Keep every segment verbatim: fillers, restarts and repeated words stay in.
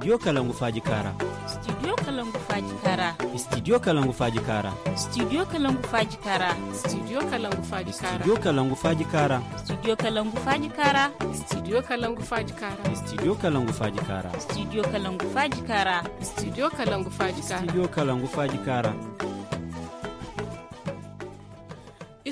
Studio Kalangu Faaji Kaara. Studio Kalangu Faaji Kaara. Studio Kalangu Faaji Kaara. Studio Kalangu Faaji Kaara. Studio Kalangu Faaji Kaara. Studio Kalangu Faaji Kaara. Studio Kalangu Faaji Kaara. Studio Kalangu Faaji Kaara. Studio Kalangu Faaji Kaara. Studio Kalangu Faaji Kaara. Studio Kalangu Faaji Kaara. Studio Kalangu Faaji Kaara.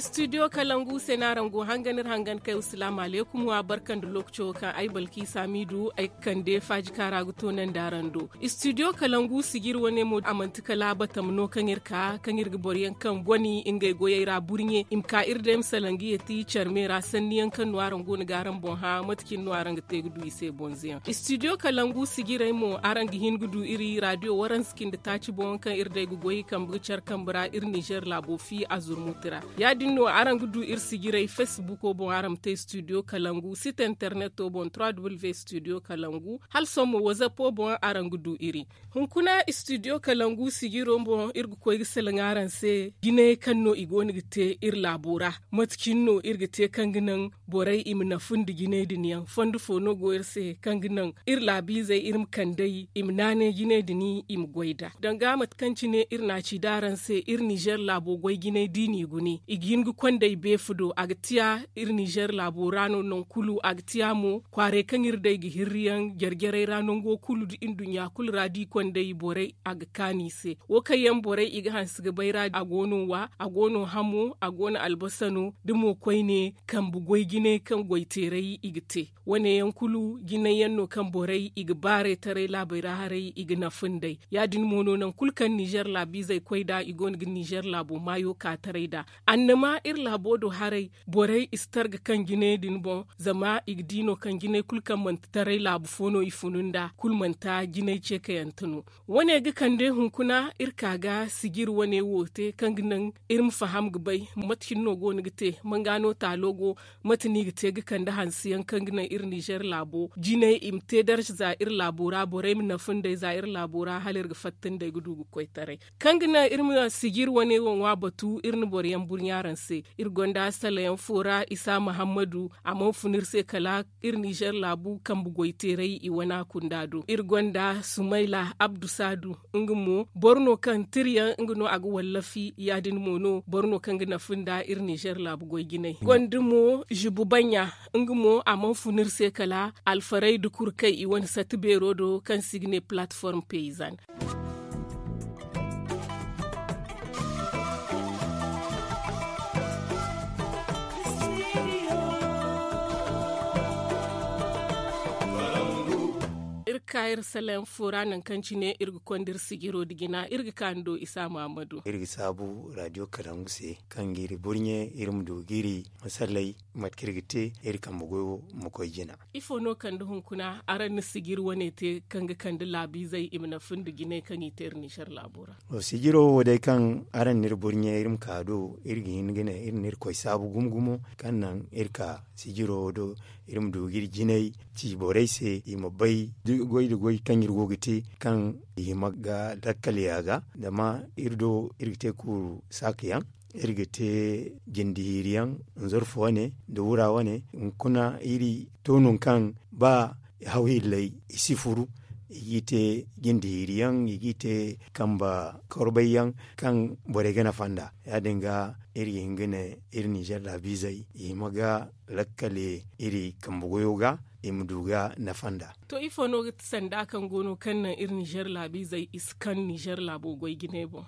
Studio Kalangu se no araŋ go hangan iri hangan kay. Salaamu alaykum, wa barka nda lookaco kaŋ ay balki saamiidu ay ga kande faaji kaara ga toonandi araŋ do. Studio Kalangu sijiri wane mo a manti kala batama no kaŋ iri ka kaŋ iri ga boro yaŋ kaŋ goni ngey goyey ra burɲe i ma ka iri day ma salaŋ ga yeeti care me ra sanni yaŋ kaŋ no araŋ go no ga araŋ boŋ hã mate cine no araŋ ga te ga du i se bonze yaŋ. Studio Kalangu sijirey mo araŋ ga hin ga du iri radio waransa cindi taaci boŋ kaŋ iri day ga goy kambe ga care kambe ra iri nizer laabo fi a zurmuti ra. Ya- din no araŋ ga du iri sijirey facebook boŋ araŋ ma te studio kalangu site internet boŋ trois w studio kalangu hala sohõ mo whatsapp boŋ araŋ ga du iri. Hunkuna studio kalangu sijiro boŋ iri ga koy ga salaŋ araŋ se jinayey kaŋ no i go no ga te iri laabo ra. Mate cine no iri ga te kaŋ ga naŋ borey i ma nafu nda jinay din yaŋ fondo fo no go iri se kaŋ ga naŋ iri laabiizey iri ma kand'ey i ma naanay jinay din i ma goy nd'a danga mate kaŋ cine iri na a ci da araŋ se iri nizer laabo goy jinay da i n'i gune i ga hin ga kond'ey beefa do a ga tiya iri nizer laabo ra no nangu kulu a ga tiya mo kwaarey kaŋ iri day ga hirri yaŋ jare-jarey ra nango kulu nda nduɲɲa kulu ra da i kond'ey borey a ga kaanu i se. Wo kaŋ yaŋ borey i ga hanse ga bay ra a go no wa a go no hamo a go no albasa no da mo koyne kambe goy jinay kaŋ goy teeray i ga te. Wane yaŋ kulu jinay yaŋ no kaŋ borey i ga baarey taray laabey ra haray i ga nafa nd'ey. Ya- din mo no nangu kulu kaŋ nizer laabiizey koy nd'a i go no ga nizer laabo maayo ka taray nd'a. Annama iri laabo do haray borey i si targa kaŋ jinay din boŋ zama i ga di no kaŋ jinay kulu kaŋ manti taray laabu fo no i funu nd'a kulu manti jinay ceekayante no. Wane ga kande hunkuna iri ka ga sijiri wane wo te kaŋ ga naŋ iri ma faham ga bay mate cine no go no ga te manga no taalo go mate no i ga te ga kande hanse yaŋ kaŋ ga naŋ iri nizer laabo jinay i ma te darza za iri laabo ra borey ma nafa nd'ey za iri laabo ra hala iri ga fatta nd'ey ga du ga koy taray. Kaŋ ga naŋ iri ma sijiri wane wo ŋwa batu iri na boro yaŋ burɲa araŋ se. Iri gonda sala yaŋ fo ra isa mahammadu a mana fun iri se kala iri nizer laabu kambe goy teeray i wana kunda do iri gonda sumayla abdu saadu nga mo boro no kaŋ tira yaŋ nga no a ga wallafi ya- din mo no boro no kaŋ ga nafa nda iri nizer laabu goy jinay gonda mo zibu baɲa nga mo a mana fun iri se kala alfaray da kurkay i wane sati beero do kaŋ se i ga ne platform peyizan. Iri ka iri salaŋ fo ra nangu kaŋ cine iri ga konda iri sijiro nda jina iri ga ka ni do isa mahammadu. Iri ga saabu radio kalangu se kaŋ ga iri burɲe iri ma du ga iri masallay mate kaŋ iri ga te iri kambe goyo ma koy jina. Ifo no kande hunkuna araŋ na sijiri wane te kaŋ ga kande laabiizey i ma nafa nda jinay kaŋ i te iri nizer laabo ra? Sijiro wo day kaŋ araŋ na iri burɲe iri ma ka do iri ga hin ga ne iri na iri koy saabu gumo gumo kaŋ naŋ iri ka sijiro wo do iri ma du ga iri jinay ci borey se i ma bay goy nda goy kaŋ iri go ga te kaŋ i hima ga lakkal ya ga zama iri do iri ga te kuuru saaka yaŋ iri ga te jindi hiiri yaŋ nzarfu wane nda wura wane. Hunkuna iri to nangu kaŋ ba haw hilley i si furu i g'i te jindi hiiri yaŋ i g'i te kambe korbay yaŋ kaŋ borey ga nafa nd'a. Ya- din ga iri ga hin ga ne iri nizer laabiizey i hima ga lakkale iri kambe goyo ga i ma du ga nafa nd'a. To ifo no ga ti sanda kaŋ go no kaŋ naŋ iri nizer laabiizey i si kaŋ nizer laabo goy jinay boŋ?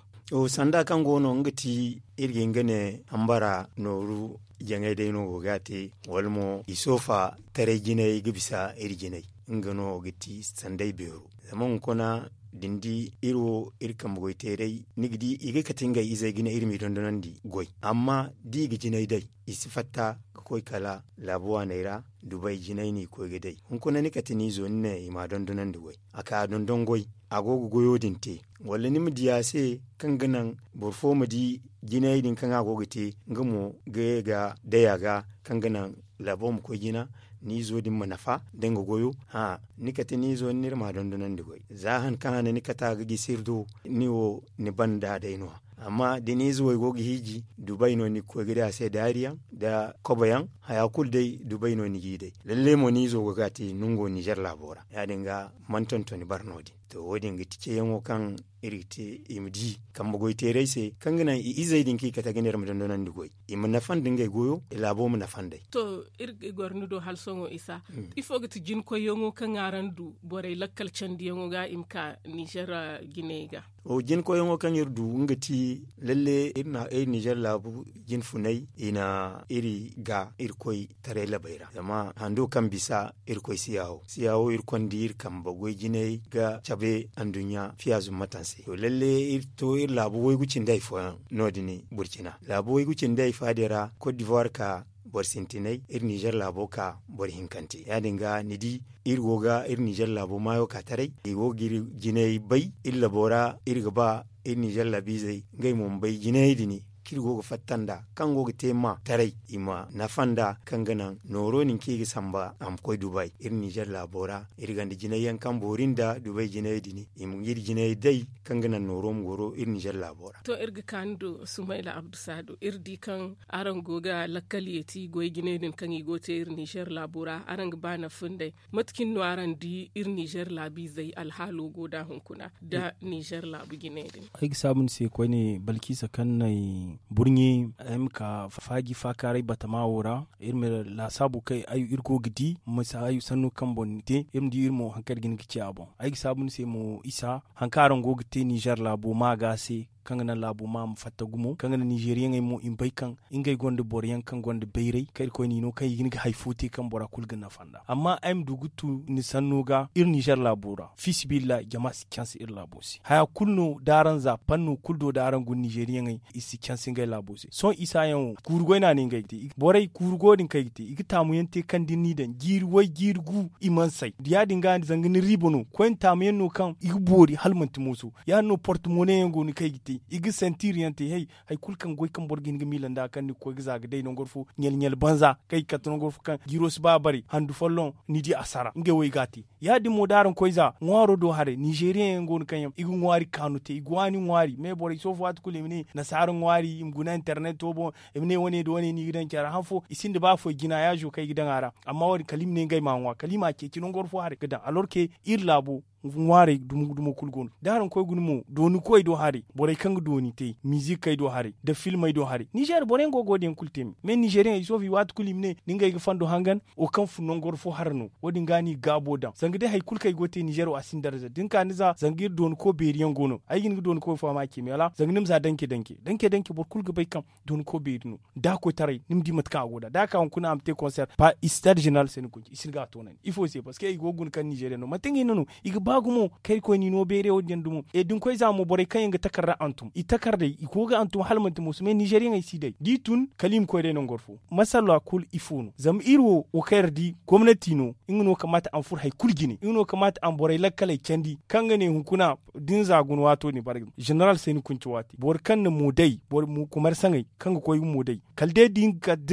Sanda kaŋ go no nga ti iri ga hin ga ne hambara nooru jaŋay day no go ga a te wala mo i soofa taray jinay ga bisa iri jinay. Nga no ga ti sanday beero zama hunkuna da ni di iri wo iri kambe goy teeray ni ga di i ga kate ngey izey ga ne iri m'i dondonandi goy amma da i ga jinay day i si fatta ga koy kala laabu waaney ra dubay jinay no i koy ga day. Hunkuna ni kate ni izo ni ne i m'a dondonandi goy a ka dondon goy a go ga goyo din te wala ni ma di a se kaŋ ga naŋ boro fo ma di jinayey din kaŋ a go ga te nga mo ga ye ga day a ga kaŋ ga naŋ laabo ma koy jina ni izo din ma nafa da nga goyo. Hã ni kate ni izo ni n'iri ma dondonandi goy za han kaŋ a ne ni kate a ga gisi iri do ni wo ni banda day no- ya. Amma da ni ize wo i go ga hiiji, dubay no ni ga koy ga day a se daari yaŋ nda kobo yaŋ. Haya kulu day dubay no ni g'i day. Lalle mo ni izo go ga a te nango nizer laabo ra. Ya- din ga, mana tontoni bare no- din. To wo- din ga ti ceeyaŋo kaŋ iri ga te i ma di kambe goy teerey se, kaŋ ga naŋ i izey din kaŋ i kate ga ne iri ma dondonandi goy, i ma nafa nda ngey goyo, i laabo ma nafa nd'ey. To, iri ga goro ni do hala sohõ isa, ifo ga ti jinkoyyaŋo kaŋ araŋ du borey lakkal candiyaŋo ga i ma ka nizer jiney ga? Jinkoyyaŋo kaŋ iri du nga ti, lalle iri nizer laabu jinfunay i na iri ga iri koy taray labey ra, zama hando kaŋ bisa iri koy siyawo siyawo iri konda iri kambe goy jinay ga cabe anduɲɲa fiya zummatanse. To lalle iri to iri laabu waygu cindi hari fooyaŋ no- din burcina laabu waygu cindi hari faadey ra kot divuwar ka boro sintinay iri nizer laabo ka boro hinkante ya- din ga ni di, iri go ga iri nizer laabo maayo ka taray i go ga iri jinay bay iri labo ra iri ga ba iri nizer laabiizey ngey mo ma bay jinayey din kaŋ iri go ga fatta nd'a kaŋ go ga te ma taray i ma nafa nd'a kaŋ ga naŋ nooro din kaŋ i ga samba a ma koy dubay iri nizer laabo ra. Iri gonda jinay yaŋ kaŋ boori nda dubay jinayey din i ma ngey jinayey day kaŋ ga naŋ nooro ma goro iri nizer laabo ra. To iri ga ka ni do sumayla abdusaado iri di kaŋ araŋ go ga lakkal yeeti goy jinay din kaŋ i go ga te iri nizer laabo ra araŋ ga ba nafa nd'ey. Mate cine no araŋ di iri nizer laabiizey alhaalo go nd'a hunkuna nda nizer laabu jinay din? Ay ga saabu ni se koyne balkisa kaŋ na ay burɲe ay ma ka faaji faakaaray batama wo ra. Iri ma laasaabu kaŋ iri go ga di misa hayo sanno kaŋ boŋ ni te iri ma di iri mo hari kaŋ iri ga hin ga ci a boŋ. Ay ga saabu ni se mo isa hari kaŋ araŋ go ga te nizer laabo maaga se kaŋ ga naŋ laabo ma a ma fatta gumo kaŋ ga naŋ nizeriyaŋey mo i ma bay kaŋ ngey gonda boro yaŋ kaŋ gonda bayray kaŋ irkoy n'i no kaŋ i ga hin ga hari fo te kaŋ bora kulu ga nafa nd'a. Amma ay ma du ga tu ni sanno ga iri nizer laabo ra fiisabilillahi jama si canse iri laabo se haya kulu no da araŋ za panno kulu do da araŋ guna nizeriyaŋey i si canse ngey laabo se sohõ isa yaŋ wo kuuru goy no a ne ngey ga te. Borey kuuru go din kaŋ ay ga te i ga taamu yaŋ te kaŋ da ni n'i daŋ jiiri way jiiri gu i mana say ya- din ga ni zanga ni riiba no koyne taamu yaŋ no kaŋ i ga boori hala manti mooso. Ya- din no porte mone yaŋ go no kaŋ ay ga te i ga sentiri yaŋ te hay hari kulu kaŋ goy kaŋ boro ga hin ga miila nd'a kaŋ ni ga koy ga za ga day nangu war fo ɲal ɲal banza kaŋ i ga kate nangu war fo kaŋ jiiro si ba bare handu folloŋ ni di a sara ngey wo i ga a te. Ya- din mo da araŋ koy za ŋwaaro do haray nizeriyaŋ yaŋ go no kaŋ yaŋ i ga ŋwaari kaanu te i ga waani ŋwaari me borey soofu waati kulu i ma ne nasaara ŋwaari i ma guna interneto boŋ i ma ne wane nda wane no i ga daŋ care han fo i sinda ba foy jinayaazo kaŋ i ga daŋ a ra. Amma wo- din kala i ma ne ngey m'a ŋwa kala i m'a ceeci nangu war fo haray ga daŋ alorke iri laabo ŋwaarey dumo dumo kulu go no da araŋ koy guna mo dooni koy do haray borey kaŋ ga dooni te mizikey do haray nda filmey do haray nizer boro yaŋ go ga wo- din yaŋ kulu te me me nizeriyaŋ i soofu i waati kulu i ma ne ni ngey ga fondo hangan wo kaŋ fun nangu war fo hara no wo- din ga no i ga gaabo daŋ zanga day hari kulu kaŋ i go ga te nizer wo a si ni darza da ni ka ni za zanga iri dooni ko beeri yaŋ go no ay ga hin ga dooni koy fo a ma a ce me wala zanga ni ma za danke danke danke danke boro kulu ga bay kaŋ dooni ko beeri no da a koytaray ni ma di mate kaŋ a go nd'a da a ka hunkuna a ma te konser pa istad jeneral se ni kunci i si ni ga a toonandi ifo se parceque i go ga guna kaŋ nizeriyaŋ no manti nga hinne no i ga ba gumo kaŋ iri koy n'i no beere wo- din yaŋ dumo e da ni koy za mo borey kaŋ yaŋ ga takarda hantum i takardey i go ga hantum hala manti mooso me nizeriyaŋey si day da i tun kala i ma koy day nangu war fo masalla kulu ifo no zama iri wo wo kaŋ iri di gomnati no nga no kamaata a ma furo hari kulu jine nga no kamaata a ma borey lakkaley candi kaŋ ga ne hunkuna da ni za guna waato din bare jeneral se ni kunci waati boro kaŋ na mo day boro kumarsaŋey kaŋ ga koy ga mo day kala day da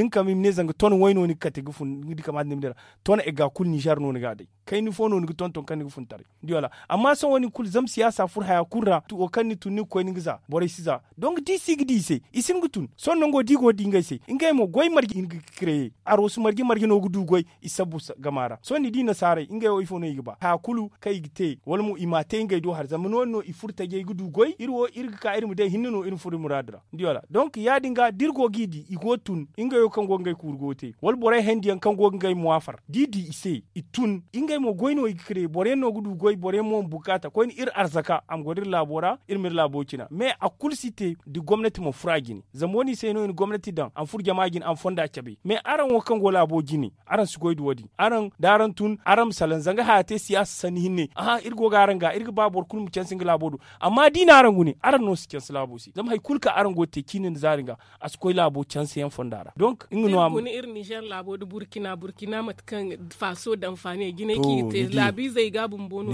ni ka ma i ma ne zanga ton way no ni ga kate ga fun ni di kamaata ni ma day ra ton ega kulu nizer no ni ga a day kayna fo no ni ga tonton kaŋ ni ga fun taray ni di wala amma sohõ wo- din kulu zama siyaasa furo haya kulu ra wo kaŋ ni tun ni ga koy ni ga za borey si za donk da i si ga di i se i si hin ga tun sohõ nango da i go ga di ngey se ngey mo goy marje i hin ga kreye aroosu marje marje no ga du goy i sabbu gama ra sohõ ni di nasaarey ngey wo ifo no i ga ba haya kulu kaŋ i ga te wala mo i m'a te ngey do hari zama no- din no i furo tajey ga du goy iri wo iri ga ka iri ma day hinne no iri ma furo iri muraadu ra ni di wala donk ya- din ga da iri go g'i di i go ga tun ngey wo kaŋ go ga ngey kuuru go ga te wala borey hayandi yaŋ kaŋ go ga ngey muwaafar da i di i se i tun ngey mo goy no i ga kreye boro yaŋ no ga du goy boro yaŋ mo ma bukaata koyne iri arzaka a ma goro iri laabo ra iri ma iri laabo cina mais a kulu si te da gomnati mana furo a jine zama wo- din se no i na gomnati daŋ a ma furo jama jine a ma fonda cabe mais araŋ wo kaŋ go laabo jine araŋ si goy da wo- din araŋ da araŋ tun araŋ ma salaŋ zanga haya te siyaasa sanni hinne aha iri go ga araŋ ga iri ga ba boro kulu ma canse nga laabo do amma da i na araŋ gune araŋ no si canse laabo se zama hari kulu kaŋ araŋ go ga te ciine nda zaari ga a si koy laabo canse yaŋ fonda ra donk nga no a ma gune iri nizer laabo da burkina burkina mate kaŋ faaso daŋ faaniya jinay kaŋ i ga te laabiizey ga bumbo no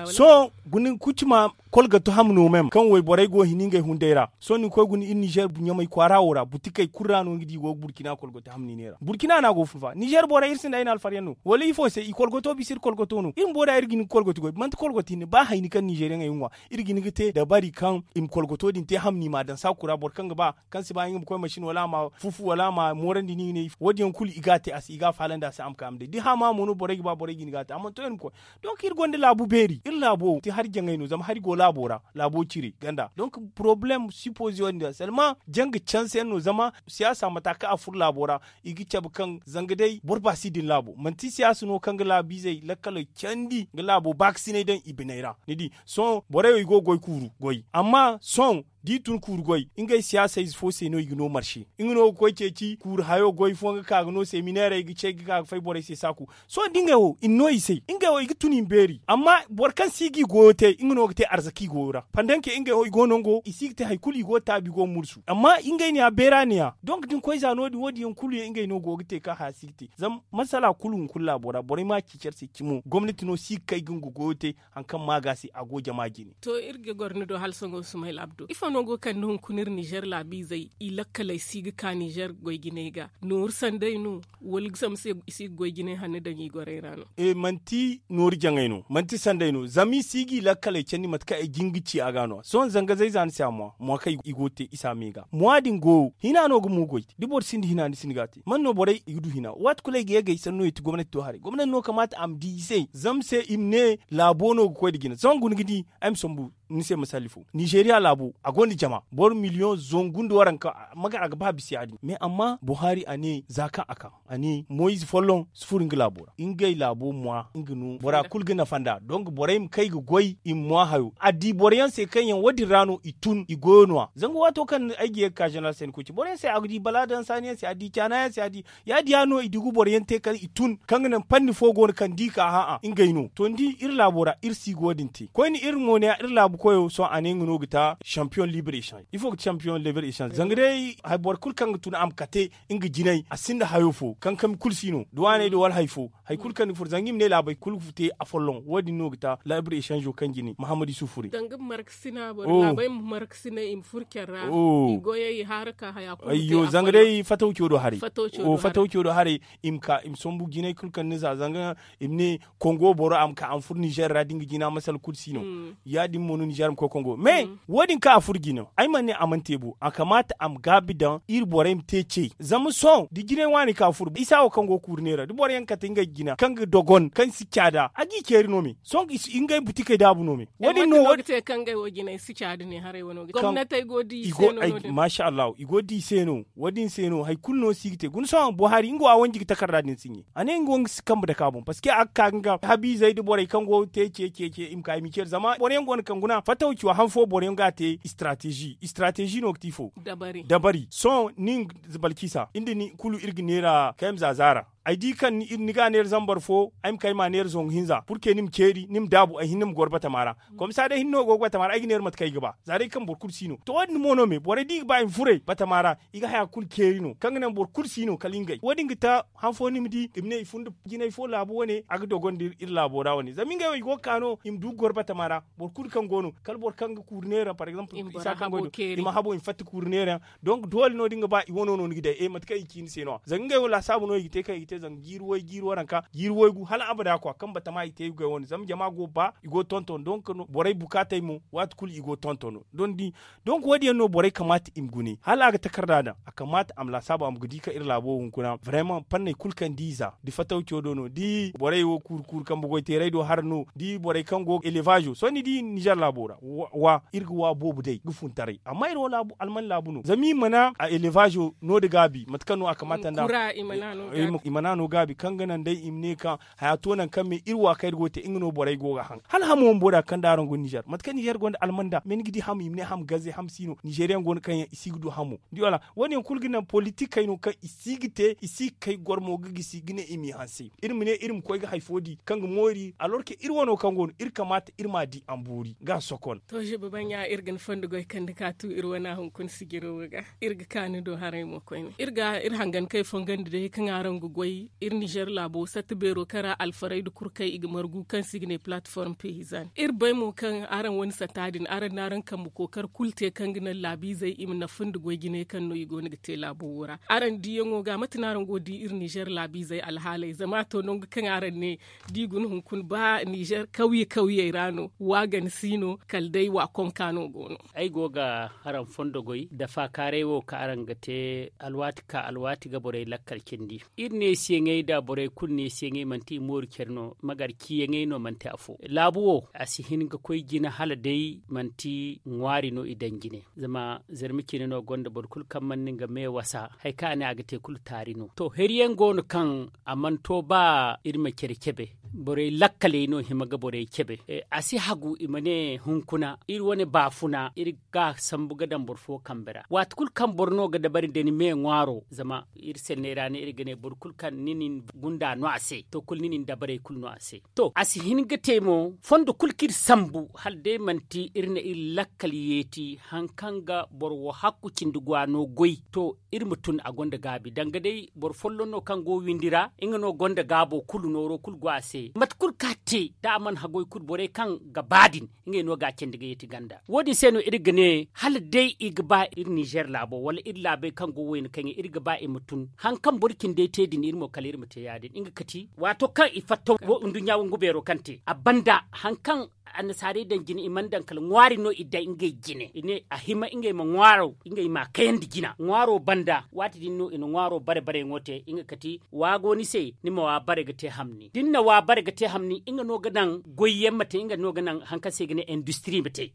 Sohõ guna kucuma kolgato ham no mem kaŋ wayborey go ga hin ngey hunday ra. Sohõ ni ga koy guna iri nizer ɲamay kwaara wo ra butikey kulu ra no ni ga di i go ga burkina kolgato ham ni neera burkina no a go ga fun fa nizer borey iri sinda ay na alfaryaŋ no wala ifo se i kolgato bisa iri kolgato no iri bumbo da iri ga hin ga kolgato goy manti kolgato hinne ba hayni kaŋ nizeriyaŋey ga ŋwa. Iri ga hin ga te dabari kaŋ i ma kolgato din te ham no i ma a daŋ saaku ra boro kaŋ ga ba kaŋ si ba nga ma koy masin wala a ma fufu wala a ma moorandi ni ga ne wo- din yaŋ kulu i ga a te a se i ga a faalandi a se a ma kay a ma day da i hama mo no borey ga ba borey ga hin ga a te a mana to iri ma koy. Donk iri gonda laabu beeri iri laabo te hari jaŋay no zama hari go laabo ra laabo cire ganda donk porobalem sipoze wo- din ra selma janga canse yaŋ no zama siyaasa mata kaŋ a furo laabo ra. I ga cabe kaŋ zanga day boro ba si din laabo manti siyaasa no kaŋ ga laabiizey lakkaley candi ga laabo baakasinay daŋ i biney ra ni di. Sohõ borey wo i go ga goy kuuru goy amma sohõ da i tun kuuru goy ngey siyaasa ize fo se no i ga no marse nga no ga koy ceeci kuuru hayo goy fooyaŋ ga ka ga no seminairey ga cey ga ka ga fay borey se saaku. Sohõ da ngey wo i na no i se ngey wo i ga tun i ma beeri amma boro kaŋ si ga i goyo te nga no ga te arzaka i goyo ra pandanke ngey wo i go nango i si ga te hari kulu i go ga taabi i go ga mursu amma ngey ne ya beera ne ya donk da ni koy za no- din wo- din yaŋ kulu yaŋ ngey no go ga te kaŋ haya si ga te zama masala kulu hunkuna laabo ra borey ma a ceeci iri se cimo gomnati no si ga kay ga nga goyo te. Hari kaŋ ma ga se a go jama jine. To iri ga goro ni do hala sohõ ga sumayla abdo ifo no go ga kande hunkuna iri nizer laabiizey i lakkaley si ga ka nizer goy jinay ga nooru sanday no? Wala sambu se i si ga goy jinay hanno daŋ i gorey ra no? Manti nooru jaŋay no manti sanday no zama i si ga i lakkaley candi mate kaŋ ay jin ga ci a ga no- ya sohõ zanga zay za ni se a mwa mwa kaŋ i go ga te isa me ga mwa din goyo hina no ga mo goy. Da boro sinda hina ni sinda ga a te man no borey i ga du hina waati kulu ay ga ye ga ay sanno ya ti gomnati do haray gomnati no kamaata a ma di i se zama se i ma ne laabo no ga koy nda jina sohõ guna ga di. Ay ma sambu ni se masalli fo nizeriya laabo a gonda jama boro miliyoŋ zangu nda waranka. Magar a ga ba bisa ya- din mais amma buhari a ne za kaŋ a ka a ne moyize folloŋ si furo nga laabo ra ngey laabo mwa nga no bora kulu ga nafa nd'a donk borey ma kay ga goy i ma mwa hayo a di boro yaŋ se kaŋ yaŋ wo- din ra no i tun i goyo no- ya zanga waato kaŋ ay ga ye ga ka zeneral se ni koy ci boro yaŋ se a ga di bala daŋ saani yaŋ se a di caana yaŋ se a di ya- din ya no i dugu boro yaŋ te kala i tun kaŋ ga naŋ panni fo go no kaŋ da i ka hã'a ngey no to ni di iri laabo ra iri si ga wo- din te koyne iri mo ne ya iri laabu koyo sohõ a ne nga no ga ta champiyoŋ libre echange ifo ga champiyoŋ libre echange zanga day boro kulu kaŋ ga tun a ma kate nga jinay a sinda hayo fo kankami kulu si no da waaney da wala hari fo hari kulu kaŋ ni furo zanga i ma ne laabey kulu ga te afolloŋ wo- din no ga ta libre echange kaŋ jine mahammad isufu fure. Zanga ma markasina boro laabey ma markasina i ma furo care ra i goyey i haara ka haya kulu ma te afolloŋ. Zanga day fatawco do haray fatawco do haray i ma ka i ma sambu jinay kulu kaŋ ni za zanga i ma ne kongo boro a ma ka a ma furo nizer ra da nga jina masala kulu si no. Ya- din mo no nizer ma koy kongo mais wo- din kaŋ a furo jina ay mana ne a mana te bo a kamaata a ma gaabi daŋ iri borey ma te ce zama sohõ da jinay waani ka furo isa wo kaŋ go ga kuuri neera da boro yaŋ kate ngey jina kaŋ ga dogon kaŋ si caada a g'i ceeri no me sohõ ngey butikey daabu no me wo- din no wo- din te kaŋ ngey wo jinay si caadi ne haray wano ga gomnatey go di i se no wo- din se no hari kulu no si ga te guna sohõ buhari nga wo a wanji ga takarda din si ɲe a ne nga wo nga si kambe dake a boŋ parceque a ga ka ga nga habiizey nda borey kaŋ go ga te ce ce ce i ma ka i ma i ceeri zama boro yaŋ go no kaŋ guna fattaw ci wo han fo boro yaŋ ga a te istratezi istratezi no ga ti fo dabari sohõ nin balkisa iri nda ni kulu iri ga neera kayma za zaara ay di kaŋ ni ga a neera zambar fo ay ma kay ma a neera zangu hinza purke ni ma ceeri ni ma daabu ay hinne ma goro batama ra. Komsa day hinne no go ga batama ra ay ga neera mate kaŋ ay ga ba za day kaŋ boro kulu si no to wo- din mo no me borey da i ga ba i ma furay batama ra i ga haya kulu ceeri no kaŋ ga naŋ boro kulu si no kala ngey wo- din ga ta han fo ni ma di i ma ne i fun da jinay fo laabu wane a ga dogon da iri laabo ra wane zama ngey wo i go ga ka no i ma du ga goro batama ra boro kulu kaŋ go no kala boro kaŋ ga kuuri neera par exemple isa kaŋ go no i ma habo i ma fatta kuuri neera yaŋ. Donc doole no da ni ga ba i wano no ni ga day e mate kaŋ i ci ni se no- ya zanga ngey wo laasaabu no i ga te kaŋ i ga te zanga jiiri way jiiri waranka jiiri waygu hala abada kwa kaŋ batama i te i ga goy wane zama jama go ga ba i go ga tonton donc borey bukaatey mo waati kulu i go ga tonton no. Donk wo- din yaŋ no borey kamaata i ma gune hala a ga takarda daŋ a kamaata a ma laasaabu a ma ga di kaŋ iri laabo hunkuna vraiment fanney kulu kaŋ di i za da fatawco do no da borey wo kuuru kuuru kambe goy teeray do hara no da borey kaŋ go ga elevazo sohõ ni di nizer laabo ra wa iri ga wa boobo day ga fun taray amma iri wo laabu alman laabu no zama i mana a elevazo no- din gaabi mate kaŋ no a kamaata nda i mana no gaabi kaŋ ga naŋ day i ma ne kaŋ haya to nangu kaŋ me iri wa kaŋ iri go ga te nga no borey go ga haŋ hala hamo bumbo da kaŋ da araŋ go nizer mate kaŋ nizer gonda almanda me ni ga di hamo i ma ne hamo gaze hamo si no nizeriyaŋ go no kaŋ yaŋ i si ga du hamo ni di wala wo- din yaŋ kulu ga naŋ politikey no kaŋ i si ga te i si ga kay goro mo ga gisi ga ne i m'i hanse iri ma ne iri ma koy ga hari fo di kaŋ ga moori alors que iri wano kaŋ go no iri kamaata iri m'a di a ma boori ga a sokon. To ziba baŋ ya iri ga ni fondo goy kande ka tu iri wana hunkuna sijiro wo ga iri ga ka ni do haray mo koyne iri ga iri hangan kay fongandi day kaŋ araŋ ga goy. Iri nizer laabo satta beero kaŋ ra alfaraydu kulu kaŋ i ga margu kaŋ se i ga ne palatiform peyizan iri bay mo kaŋ araŋ wane satta din araŋ na araŋ kambe kookar kulu te kaŋ ga naŋ laabiizey i ma nafa nda goy jine kaŋ no i go no ga te laabo wo ra. Araŋ diyaŋo ga mate no araŋ go ga di iri nizer laabiizey alhaaley zama a to nangu kaŋ araŋ ne da i guna hunkuna ba nizer kawye kawyey ra no wa gana si no kala day wa konka no go no. Ay go ga araŋ fondo goy da faakaaray wo kaŋ araŋ ga te alwaati ka alwaati ga borey lakkal cindi. Iri neesiyaŋey nda borey kulu neesiyaŋey manti i mooru care no magar ciyaŋey no manti afo laabu wo a si hin ga koy jina hala day manti ŋwaari no i daŋ jine. Zama zarma cine no gonda boro kulu kaŋ mana nga me wasa hari kaŋ a ne a ga te kulu taari no to hari yaŋ go no kaŋ a mana to ba iri ma care cabe. Borey lakkaley no hima ga borey cabe. A si hagu i ma ne hunkuna iri wane baafuna iri ga sambu ga daŋ boro fo kambe ra waati kulu kaŋ boro no ga dabari da ni me ŋwaaro zama iri senney ra no iri ga ne boro kulu kaŋ ni na ni gunda no a se to kulu ni na ni dabarey kulu no a se. To a si hin ga te mo fondo kulu kaŋ iri sambu hala day manti iri na iri lakkal yeeti hari kaŋ ga boro wo hakku cindi gwa no goy to iri ma tun a gonda gaabi danga day boro folloŋ no kaŋ go windi ra nga no gonda gaabo kulu nooro kulu go a se mate kulu kaŋ a te da a mana hagoy kulu borey kaŋ ga ba din ngey no ga a candi ga yeeti ganda wo- din se no iri ga ne hala day i ga ba iri nizer laabo wala iri laabey kaŋ go wayna kaŋ iri ga ba i ma tun hari kaŋ boro cindey te din iri mo kala iri ma te ya- din nga kati waato kaŋ i fatta nduɲɲa wangu beero kaŋ te a banda hari kaŋ annasaarey daŋ jine i mana daŋ kala ŋwaari no i daŋ ngey jine i ne a hima ngey ma ŋwaaro ngey ma a kayandi jina ŋwaaro banda waati din no i na ŋwaaro bare bareyaŋo te nga kati wa go ni se ni ma wa bare ga te hamni da ni na wa bare ga te hamni nga no ga naŋ goyyaŋ ma te nga no ga naŋ hari kaŋ se i ga ne industiri ma te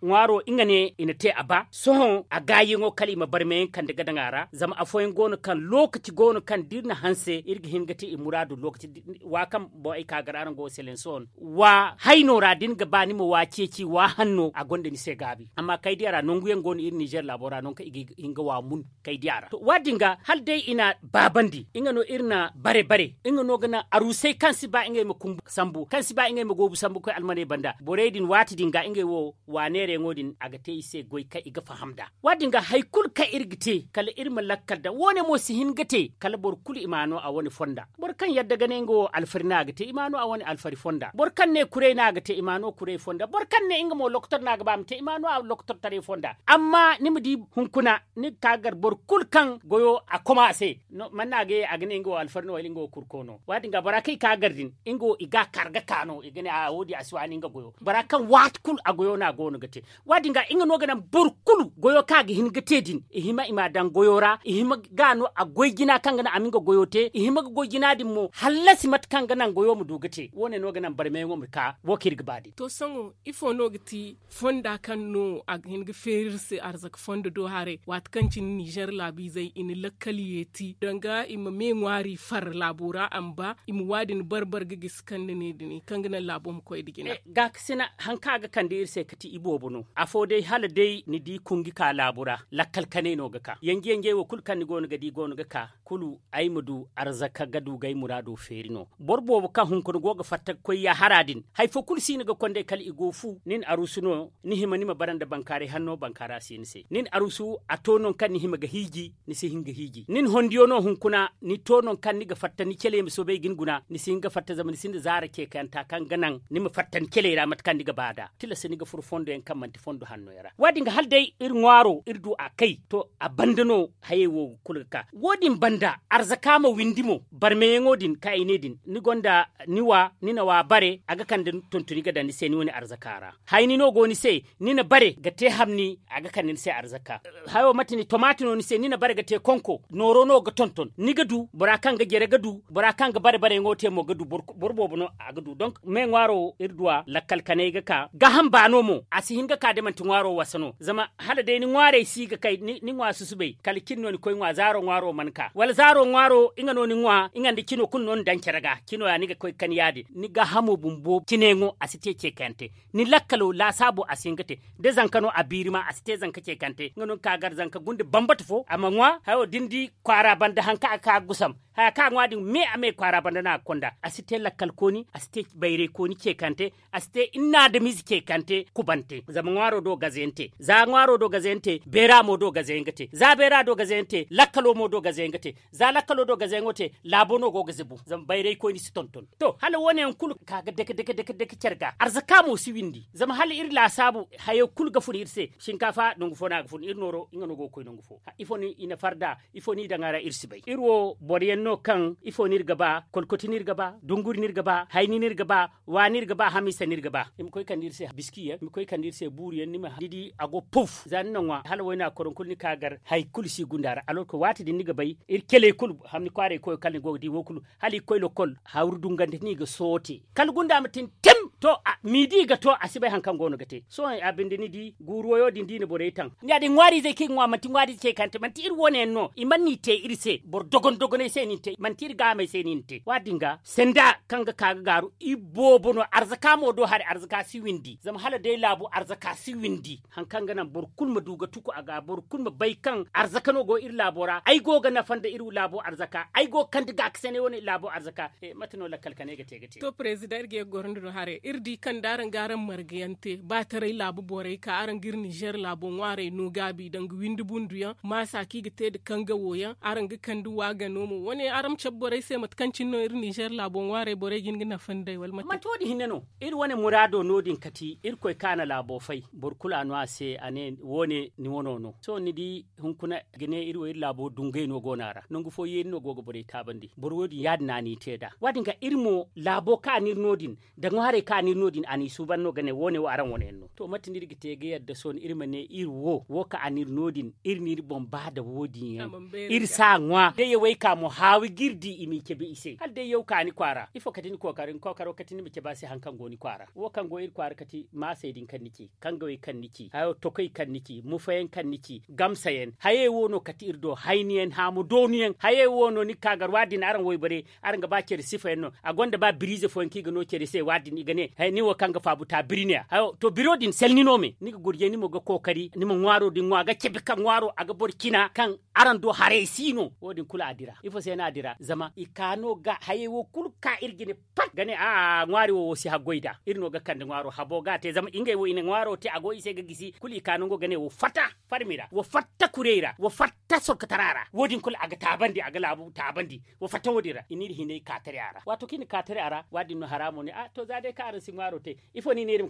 ŋwaaro nga ne i na te a ba sohõ a gaayaŋo kala i ma barmeyaŋ kande ga daŋ a ra zama afooyaŋ go no kaŋ lookaci go no kaŋ da iri na hanse iri ga hin ga te i muraadu lookaci wa kaŋ boŋ ay ka gar araŋ go ga selense wane wa hayno ra da ni ga ba ni ma wa ceeci wa hanno a gonda ni se gaabi amma kaydiya ra nangu yaŋ go no iri nizer laabo ra nangu kaŋ i ga hin ga wa mun kaydiya ra to wa- din ga hala day i na baabandi nga no iri na bare bare nga no ga naŋ aruusey kaŋ si ba ngey ma kumbu sambu kaŋ si ba ngey ma goobu sambu ga koy almaney banda borey din waati din ga ngey wo wa neerayaŋo din a ga te i se goy kaŋ i ga faham nd'a wa- din ga hari kulu kaŋ iri ga te kala iri ma lakkal daŋ wo- ne mo si hin ga te kala boro kulu i ma a no a wane fonda boro kaŋ yadda ga ne nga wo alfari no a ga te i ma a no a wane alfari fonda boro kaŋ ne kuray no a ga te i ma a no kuray fonda boro kaŋ ne nga mo lokotor no a ga ba a ma te i ma a no a lokotortaray fonda amma ni ma di hunkuna ni ga ka ga gar boro kulu kaŋ goyo a koma a se man no a ga ye a ga ne nga wo alfari no wala nga wo kurko no wa- din ga bora kaŋ i ka ga gar din nga wo i ga a kar ga ka no i ga ne a wo- din a si waani nga goyo bora kaŋ waati kulu a goyo no a go no ga te wa- din ga nga no ga naŋ boro kulu goyo kaŋ a ga hin ga te din i hima i ma a daŋ goyo ra i hima ga no a goy jina kaŋ ga naŋ a ma nga goyo te i hima ga goy jina din mo hallasi mate kaŋ ga naŋ goyo ma du ga te wo- ne no ga naŋ barmeyaŋo ma ka wo kaŋ iri ga ba din to sohõ ifo no ga ti fonda kaŋ no a ga hin ga feeri iri se arzaka fondo do haray waati kaŋ cine nizer laabiizey i na lakkal yeeti danga i ma me ŋwaari far laabo ra a ma ba i ma waadin bar bar ga gisi kaŋ ni ne din kaŋ ga naŋ laabo ma koy nda jina gaakasina hari kaŋ a ga kande iri se ga ti iboobo no afo day hala day ni di kungi ka laabu ra lakkal kanay no ga ka yanje yanjey wo kulu kaŋ ni go no ga di go no ga ka kulu ay ma du arzaka ga du ga ay muraado feeri no boro boobo kaŋ hunkuna go ga fatta ga koy yaahara din hari fo kulu si no ga kond'ey kala i go fu nin aruusu no ni hima ni ma bara nda bankaaray hanno bankaara si ni se nin aruusu a to nangu kaŋ ni hima ga hiiji ni si hin ga hiiji nin hondiyo no hunkuna ni to nangu kaŋ ni ga fatta ni caley ma soobay ga ni guna ni si hin ga fatta zama ni sinda zaara ceekayanta kaŋ ga naŋ ni ma fatta ni caley ra mate kaŋ ni ga ba nd'a tilas ni ga furo fondo yaŋ kaŋ manti fondo hanno yaŋ ra wo- din ga hala day iri ŋwaaro iri du a kay to a banda no hayey wo kulu ga ka wo- din banda arzaka ma windi mo barmeyaŋo din kaŋ ay ne din ni gonda ni wa ni na wa bare a ga kande tontoni ga daŋ ni se ni wane arzaka ra hayni no go ni se ni na bare ga te hamni a ga kande ni se arzaka hayo mate ni tomaati no ni se ni na bare ga te konko nooro no ga tonton ni ga du bora kaŋ ga jere ga du bora kaŋ ga bare bareyaŋo te mo ga du boro boobo no a ga du donk me ŋwaaro iri du a lakkal kanay ga ka gaaham baano mo a si hin ga ka da manti ŋwaaro wasa no zama hala day ni ŋwaarey si ga kay ni ŋwa susubay kala cin no ni koy ŋwa zaaro ŋwaaro mana ka wala zaaro ŋwaaro nga no ni ŋwa nga nda cino kulu no ni daŋ care ga cino ya ni ga koy ga kan ya- din ni gaahamo bumbo cineyaŋo a si ceekante. Ni lakkalo laasaabo a si hin ga te. Da zanka no a biiri ma a si te zanka ceekante nga no ni ka gar zanka gunda bambata fo a ma ŋwa hayo da ni di kwaara banda hari kaŋ a ga ka ga gusam. Haya kaŋ a ŋwa din me a me kwaara banda no a ga konda a si te lakkal kooni a si te bayray kooni ceekante. A si te inna adamize ceekante kubante zama ŋwaaro do gaze yaŋ te za ŋwaaro do gaze yaŋ te beera mo do gaze yaŋ ga te za beera do gaze yaŋ te lakkalo mo do gaze yaŋ ga te. Za lakkalo do gaze yaŋo te laabo no go ga zibu zama bayray koyne si tonton. To hala wo- ne yaŋ kulu ka ga dake dake dake care ga arzaka mo si windi zama hala iri laasaabu hayo kulu ga fun iri se. Sinkaafa nangu fo no a ga fun iri nooro nga no go ga koy nangu fo ifo no i na farda? Ifo no i daŋ a ra iri si bay iri wo boro yaŋ no kaŋ ifo no iri ga ba kolkoti no iri ga ba dunguri no iri ga ba hayni no iri ga ba. Wa no iri ga ba hamiisa no iri ga ba i ma koy kande iri se biski yaŋ i ma koy kande iri se buuru yaŋ ni ma di a go puf za ni na ŋwa hala wayna koroŋ kulu ni ka gar hari kulu si gunda ra alorko waati din ni ga bay. Iri keley kulu hamni kwaaray koyo kala ni go ga di wo kulu hala i ga koy lokol hawru dungante no i ga soote kala gunda ma tin tim. To miidi ga to a si bay hari kaŋ go no ga te sohõ a binde ni di guuru wayo din da i na borey taŋ. Ni ya- din ŋwaariizey kaŋ i ga ŋwa manti ŋwaariize ceekante manti iri wane yaŋ no i mana ni te iri se boro dogon dogoney se no i te manti iri gaamey se no i na te waati din ga senda kaŋ ga ka ga gaaru iboobo no arzaka mo do hari arzaka si windi zama hala day laabu arzaka si windi. Hari kaŋ ga naŋ boro kulu ma du ga tuku a ga boro kulu ma bay kaŋ arzaka no go iri laabo ra ay go ga nafa nda iri laabo arzaka ay go ga kande gaakasanay wane iri laabo arzaka. Mate no lakkal kanay ga te ga te. To president iri ga ye ga goro nda no haray iri di kaŋ da araŋ ga araŋ marga yaŋ te ba taray laabu borey ka araŋ ga iri nizer laabo ŋwaarey no gaabi danga windi bundu yaŋ maasa kaŋ i ga te nda kanga wo yaŋ araŋ ga kande waagano mo wane araŋ ma cabe borey se mate kaŋ cine no iri nizer laabo ŋwaarey borey ga hin ga nafa nd'ey wala mate. Manti wo- din hinne no iri wane muraado no- din kati irkoy kaŋ a na laabo fay boro kulu a no a se a ne wo- ne ni wano no sohõ ni di hunkuna ga ne iri wo iri laabo dungay no go no a ra nangu fo yeeri no go ga borey taabandi boro wo- din ya- din no a n'i te nd'a wa- din ga iri mo laabo kaŋ a n'iri no- din da ŋwaarey kaŋ a n'iri no- din a n'i suuban no ga ne wo- ne wo araŋ wane yaŋ no to mate no iri ga te ga yadda sohõ iri ma ne iri wo wo kaŋ a n'iri no- din iri n'iri boŋ ba nda wo- din yaŋ. Iri si a ŋwa day yawey ka mo haawi ga iri di i m'i cabe i se hala day yaw ka ni kwaara ifo kati ni kookaro ni kookaro kati ni ma cabe a se hari kaŋ go ni kwaara wo kaŋ go iri kwaara kati maasey din kaŋ ni ci kangawey kaŋ ni ci hayo tokoy kaŋ ni ci mufayaŋ kaŋ ni ci gamsayaŋ hayey wo no kati iri do hayniyaŋ haamu doonuyaŋ hayey wo no ni ga ka gar waadin araŋ wayborey araŋ ga ba care sifayaŋ no a gonda ba biriize fooyaŋ kaŋ i ga no care se waadin i ga ne nin wo kaŋ ga faabu ta biri ne ya hayo to biro din salni no me ni ga gurjay ni mo ga kookari ni ma ŋwaaro din ŋwa ga cabe kaŋ ŋwaaro a ga boro cina kaŋ araŋ do haray si no wo- din kulu a dira ifo se no a dira zama i ka no ga hayey wo kulu ga ka iri jine pat ga ne a'a ŋwaari wo wo si haggoy nd'a iri no ga kande ŋwaaro habo ga a te zama ngey wo i na ŋwaaro te a go i se ga gisi kulu i ka nango ga ne wo fatta farmi ra wo fatta kurey ra wo fatta sorkotara ra wo- din kulu a ga taabandi a ga laabu taabandi wo fatta wo- din ra i n'iri hinay ka tare a ra waato kaŋ i na ka tare a ra waadin no haraamo ne a to za day kaŋ araŋ si ŋwaaro te ifo no i ne iri ma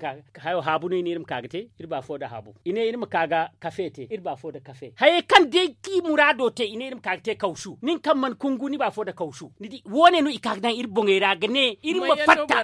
ka ga te iri ba fo nda haabu i ne iri ma ka ga kafe te iri ba fo nda kafe hayey kaŋ day kaŋ i muraado te i ne iri ma ka ga te kawsu nin kaŋ mana kungu ni ba fo nda kawsu ni di wo- ne no i ka ga daŋ iri boŋey ra ga ne iri ma fatta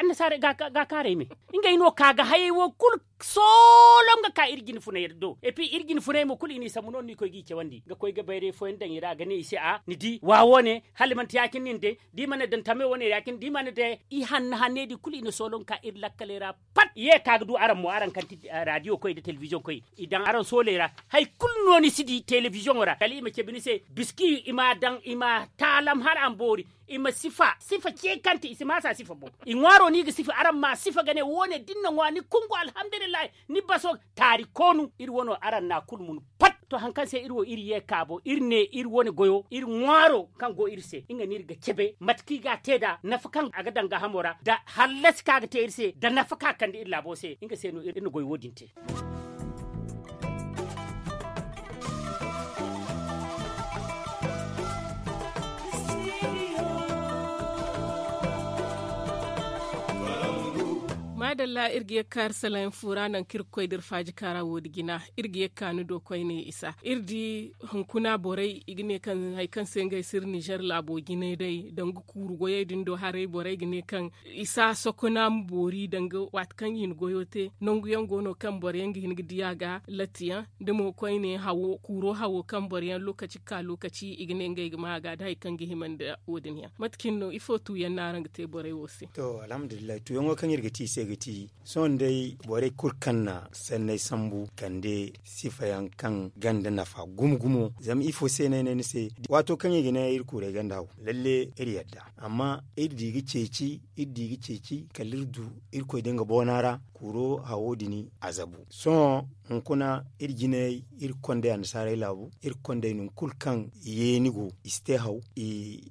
annasaarey ga kaarey me ngey no ka ga hayey wo kulu soolom ga ka iri jine funay do epi iri jine funay mo kulu i n'i sambu no no ni koy g'i cawandi ga koy ga bayray fooyaŋ daŋ i ra ga ne i se a ni di wa wo- ne hala manti ya- cine nin day da i mana daŋ tame wo- ne ya- cine da i mana day i hanna hanney din kulu i na soolom ka iri lakkaley ra pat i ye ka ga du araŋ mo araŋ kaŋ ti radiyo koy nda telebiziyoŋ koy i daŋ araŋ sooley ra hari kulu no ni si di telebiziyoŋo ra kala i ma cabe ni se biski i m'a daŋ i m'a taalam hala a ma boori i ma sifa sifa ce kaŋ te i si maasa sifa boŋ i ŋwaaro no i ga sifa araŋ m'a sifa ga ne wo- ne da ni na ŋwa ni kungu alhamdulillahi ni baso taari koonu iri wano araŋ na kulu mun pat to hari kaŋ se iri wo iri ye kaabo iri ne iri wane goyo iri ŋwaaro kaŋ go iri se nga no iri ga cabe mate kaŋ i ga a te nd'a nafa kaŋ a ga daŋ gaahamo ra nda hallasi kaŋ a ga te iri se nda nafa kaŋ a kande iri laabo se nga se no iri na goy wo- din te maadalla iri ga ye ga kaari salayaŋ fu ra nangu kaŋ iri ga koy da iri faaji kaara wo- din jina iri ga ye ga ka ni do koyne isa iri di hunkuna borey i ga ne kaŋ hari kaŋ se ngey si iri nizer laabo jinay day danga kuuru goyey din do haray borey ga ne kaŋ i si a sokona ma boori danga waati kaŋ i na goyo te nangu yaŋ go no kaŋ boro yaŋ ga hin ga di a ga latti yaŋ da mo koyne hawo kuuro hawo kaŋ boro yaŋ lokaci ga ka lokaci i ga ne ngey ga ma a ga da hari kaŋ ga hima nda wo- din yaŋ mate cine no ifo tu yaŋ no araŋ ga te borey wo se? To alhamdulillahi tuyaŋo kaŋ iri ga te i se ga ti. Sohõ day borey kulu kaŋ na sanney sambu kande sifa yaŋ kaŋ ganda nafa gumo gumo. Zama ifo se no ay ne ni se, waato kaŋ i ga ne iri kuurey ganda haw, lalle iri yadda. Amma iri di ga ceeci iri di ga ceeci kala iri du irkoy da nga boona ra. Kuuro hawo din a zabu. Sohõ hunkuna iri jinay iri ga konday annasaarey laabu, iri ga konday nangu kulu kaŋ yeeni go i si te haw.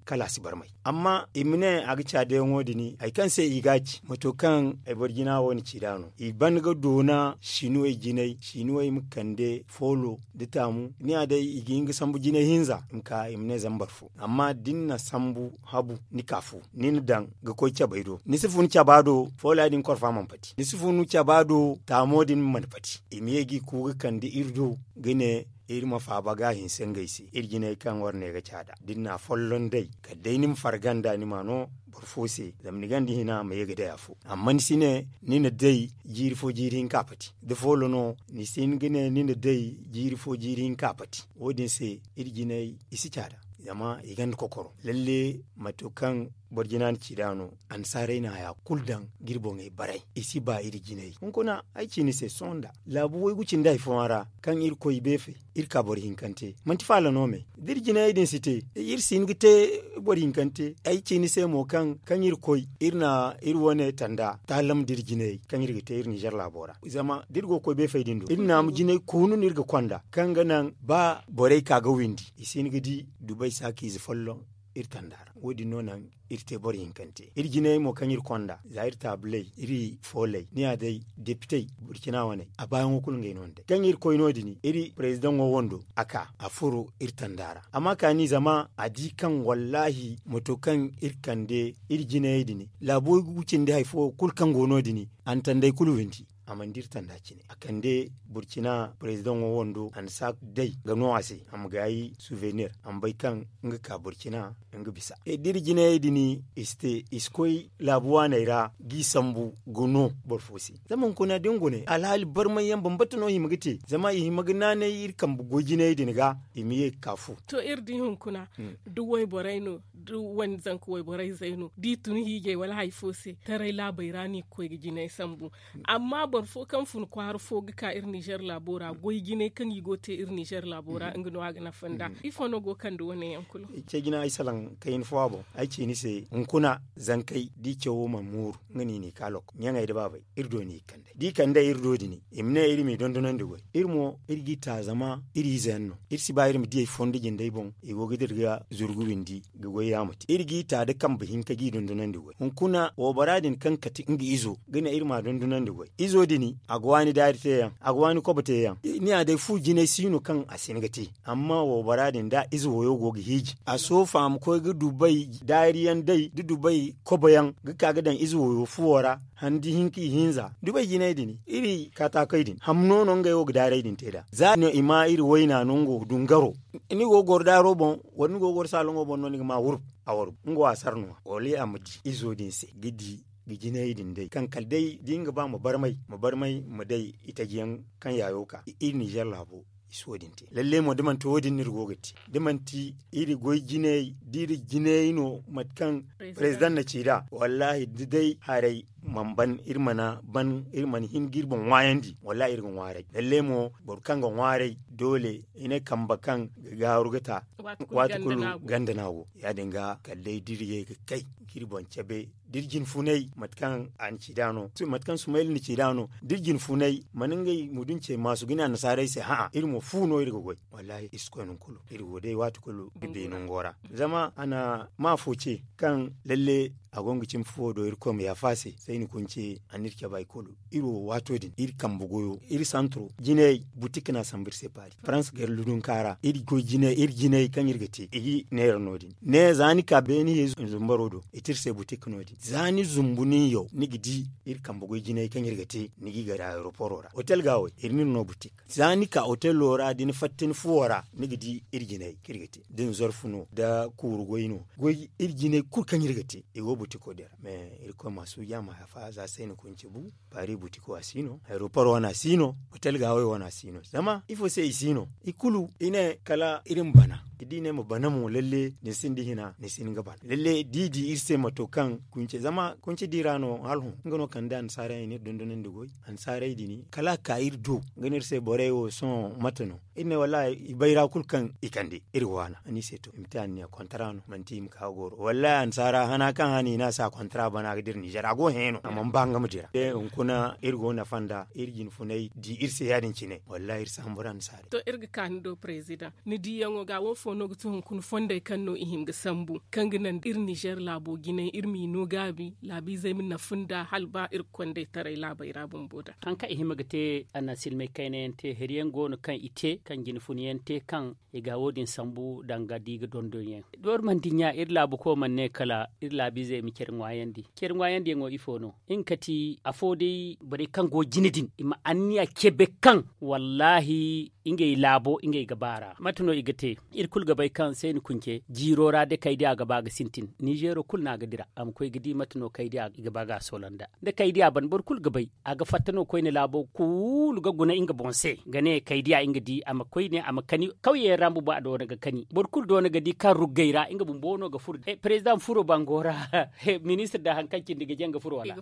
Kala a si barmay. Amma i ma ne a ga caadayaŋo din hari kaŋ se i ga a ci mato kaŋ ay boro jina wo na ci nd'a no i ban ga doona sinuwey jinay sinuwey ma kande foolo nda taamu. Ni ya day i ga hin ga sambu jinay hinza i ma ka i ma ne zambar fo. Amma da ni na sambu habu ni ka fu ni na daŋ ga koy cabay do ni si fu ni caba do foolo ya- din korfa mana pati ni si fu ni caba do taamo din mana pati. I ma ye ga i ku ga kande iri do ga ne iri ma faaba ga a hinse ngey se iri jinay kaŋ war ne ga caada da ni na a folloŋ day kala day ni ma farga nd'a ni ma no boro fo se. Zama ni ganda hina ma ye ga day afo amma ni si ne ni na day jiiri fo jiiri hinka pati da foolo no ni si hin ga ne ni na day jiiri fo jiiri hinka pati. Wo- din se iri jinay i si caada zama i ganda kokoro lalle. Mato kaŋ boro jina na ci nd'a no annasaarey na haya kulu daŋ ga iri boŋey baray i si ba iri jinay hunkuna. Ay ci ni se sohõ nda laabu waygu cindi hari fooyaŋ ra kaŋ iri koy beefey iri ka boro hinkante manti faala no me da iri jinayey din si te iri si hin ga te boro hinkante. Ay ci ni se mo kaŋ kaŋ iri koy iri na iri wane tanda taalam da iri jinayey kaŋ iri ga te iri ninzeer laabo ra. Zama da iri go ga koy beefey din do iri naamu jinay koonu no iri ga konda kaŋ ga naŋ ba borey ka ga windi i si hin ga di dubay saakiize folloŋ iri tanda ra. Wo- din no naŋ iri te boro hinkante iri jinayey mo kaŋ iri konda za iri taabuley iri fooley ni ya day depitey burcina waney a baayaŋo kulu ngey no ni day kaŋ iri koy no- din iri parezidaŋo wando a ka a furo iri tanda ra. Amma kaani zama a di kaŋ wallaahi mato kaŋ iri kande iri jinayey din laabu waygu cindi hari fo kulu kaŋ go no- din a na tandey kulu windi. A mana dira tanda cine a kande burcina parezidaŋo wando a na si a day ga no a se a ma gaayi suvenir a ma bay kaŋ nga ka burcina nga bisa. Dira jinayey din i si te i si koy laabu waaney ra ga i sambu ga no boro fo se. Zama hunkuna da ni gune alhaali barmay yaŋ bambata no i hima ga te zama i hima ga naanay iri kambe goy jinayey din ga i ma ye ga ka fu. To iri di hunkuna da wayborey no da wani zanka wayborey zey no da i tun hiijay wala hari fo se taray laabey ra no i ga koy ga jinay sambu. Amma boro fo kaŋ fun kwaara fo ga ka iri nizer laabo ra goy jinay kaŋ i go ga te iri nizer laabo ra nga no a ga nafa nd'a. Ifo no go ga kande wane yaŋ kulu? Cejina ay salaŋ kayna fo a boŋ ay ci ni se hunkuna zankey da i cawo mana mooru nga no i n'i ka lokko ɲaŋey nda baabey iri do no i ga kand'ey da i kand'ey iri do din i ma ne iri m'i dondonandi goy iri mo iri g'i ta zama iri ize yaŋ no. Iri si ba iri ma diyey fondo jindey boŋ i go ga dira ga zuru ga windi ga goy yaama te iri g'i ta nda kambe hinka g'i dondonandi goy hunkuna waybora din kaŋ kate nga izo ga ne iri m'a dondonandi goy izo din a ga waani daari te yaŋ a ga waani kobo te yaŋ. Ni ya day fu jinay si no kaŋ a si hin ga te amma waybora din da ize wayo go ga hiiji a soofa a ma koy ga dubay daari yaŋ day da dubay kobo yaŋ ga ka ga daŋ ize wayo fuwo ra handi hinka ihinza dubay jinay din iri kaataakey din hamno no ngey wo ga daarey din te nd'a za no i ma iri wayna no nga wo dungaro. Ni go ga goro daaro boŋ wala ni go ga goro saaloŋo boŋ no ni ga ma wurbu a warbu nga wo a sara no wala a ma di izo din se ga di ga jinay din day kaŋ kala day da nga ba ma barmay ma barmay ma day itaji yaŋ kaŋ yaayo ka iri ninzer laabo i si wo- din te lalle mo da manti wo- din no iri go ga te da manti iri goy jinay da iri jinay no mate kaŋ parezidaŋ na ci nd'a wallaahi da day haray mana ban iri mana ban iri mana hin ga iri boŋ ŋwaayandi wallaahi iri ga ŋwaaray lalle mo boro kaŋ ga ŋwaaray doole i ne kambe kaŋ ga gaaru ga ta waati kulu ganda no a go ya- din ga kala day da iri ye ga kay ga iri boŋ cabe da iri jinfunay mate kaŋ a na ci nd'a no mate kaŋ sumayla na ci nd'a no da iri jinfunay mana ngey muduncey maasu ga ne annasaarey se hã'a iri mo fu no iri ga goy wallaahi iri si koy nangu kulu iri go day waati kulu iri beene nango ra. Zama a na ma afo ce kaŋ lalle a go nga cimi fuwo do irkoy ma yaafa a se sayni kunce a na iri cabe hari kulu iri wo waato din iri kambe goyo iri santro jinayey butik no a sambu iri se paari farans gar ludunka ra iri goy jinay iri jinay kaŋ iri ga te i ga neera no- din ne za ni ka beene ye zumbaro do i te iri se butik no- din za ni zumbu nin yaw ni ga di iri kambe goy jinay kaŋ iri ga te ni g'i gar aeroporo ra hotel ga wo iri n'iri no butik za ni ka hotelo ra da ni fatta ni fuwo ra ni ga di iri jinay kaŋ iri ga te da ni zorfu no da kuuru goy no goy iri jinay kulu kaŋ iri ga te i go Butiko din ra me irkoy ma suuja ma hafa za se ni kunci bu. Paris butiko a si no, aeroport wane a si no, hotel gaawey wane a si no zama ifo se i si no? I kulu i ne kala iri ma bana. Da i ne ma bana mo lalle ni sinda hina ni si hin ga bana lalle da i di iri se mato kaŋ kunce zama kunce di ra no hala hõ nga no kande annasaarey no iri dondonandi goy. Annasaarey din kala a ka iri do nga no iri se borey wo sohõ mate no? Iri ne wallahi i bayra kulu kaŋ i kande iri ga waana a ne i se to i ma te anniya kontara no manti i ma ka ga goro wallahi annasaara hana kaŋ hana i ne a se a kontara bana ga dira nizer a go hẽeno a mana ba nga ma dira. Hunkuna iri go nafa nda iri jinfunay di iri se ya- din cine wallahi iri si hamburu annasaarey. To iri ga ka ni do president ni diyaŋo ga wo fo no ga ti hunkuna fondey kaŋ no i hin ga sambu kaŋ ga naŋ iri nizer laabo jinay iri m'i no gaabi laabiizey ma nafa nda hala ba iri ga kondey taray laabey ra bumbo da. Hari kaŋ i hima ga te a na silmay kayna yaŋ te hari yaŋ go no kaŋ i te kaŋ jinfuna yaŋ te kaŋ i ga wo- din sambu danga da i ga dondon yaŋ. Da wari mana dinya iri laabu koy mana ne kala iri laabiizey ma care ŋwaayandi care ŋwaayandi yaŋo ifo no? Nga kati afo day borey kaŋ go jine din i ma anniya cebe kaŋ wallahi ngey laabo ngey ga ba ra mate no i ga te? Iri kulu ga bay kaŋ se ni kunce jiiro ra da kaydiya ga ba ga sintin nizeero kulu no a ga dira a ma koy ga di mate no kaydiya i ga ba ga a soolanda. Da kaydiya ban boro kulu ga bay a ga fatta no koyne laabo kulu ga guna nga boŋ se ga ne kaydiya nga di a ma koyne a ma kani kawyayaŋ ra bumbo a doona ga kani boro kulu doona ga di kaŋ ruggay ra nga bumbo no ga furo. Perezidaŋ furo bango ra ministir da hari kaŋ cindi ga jaŋ ga furo wala?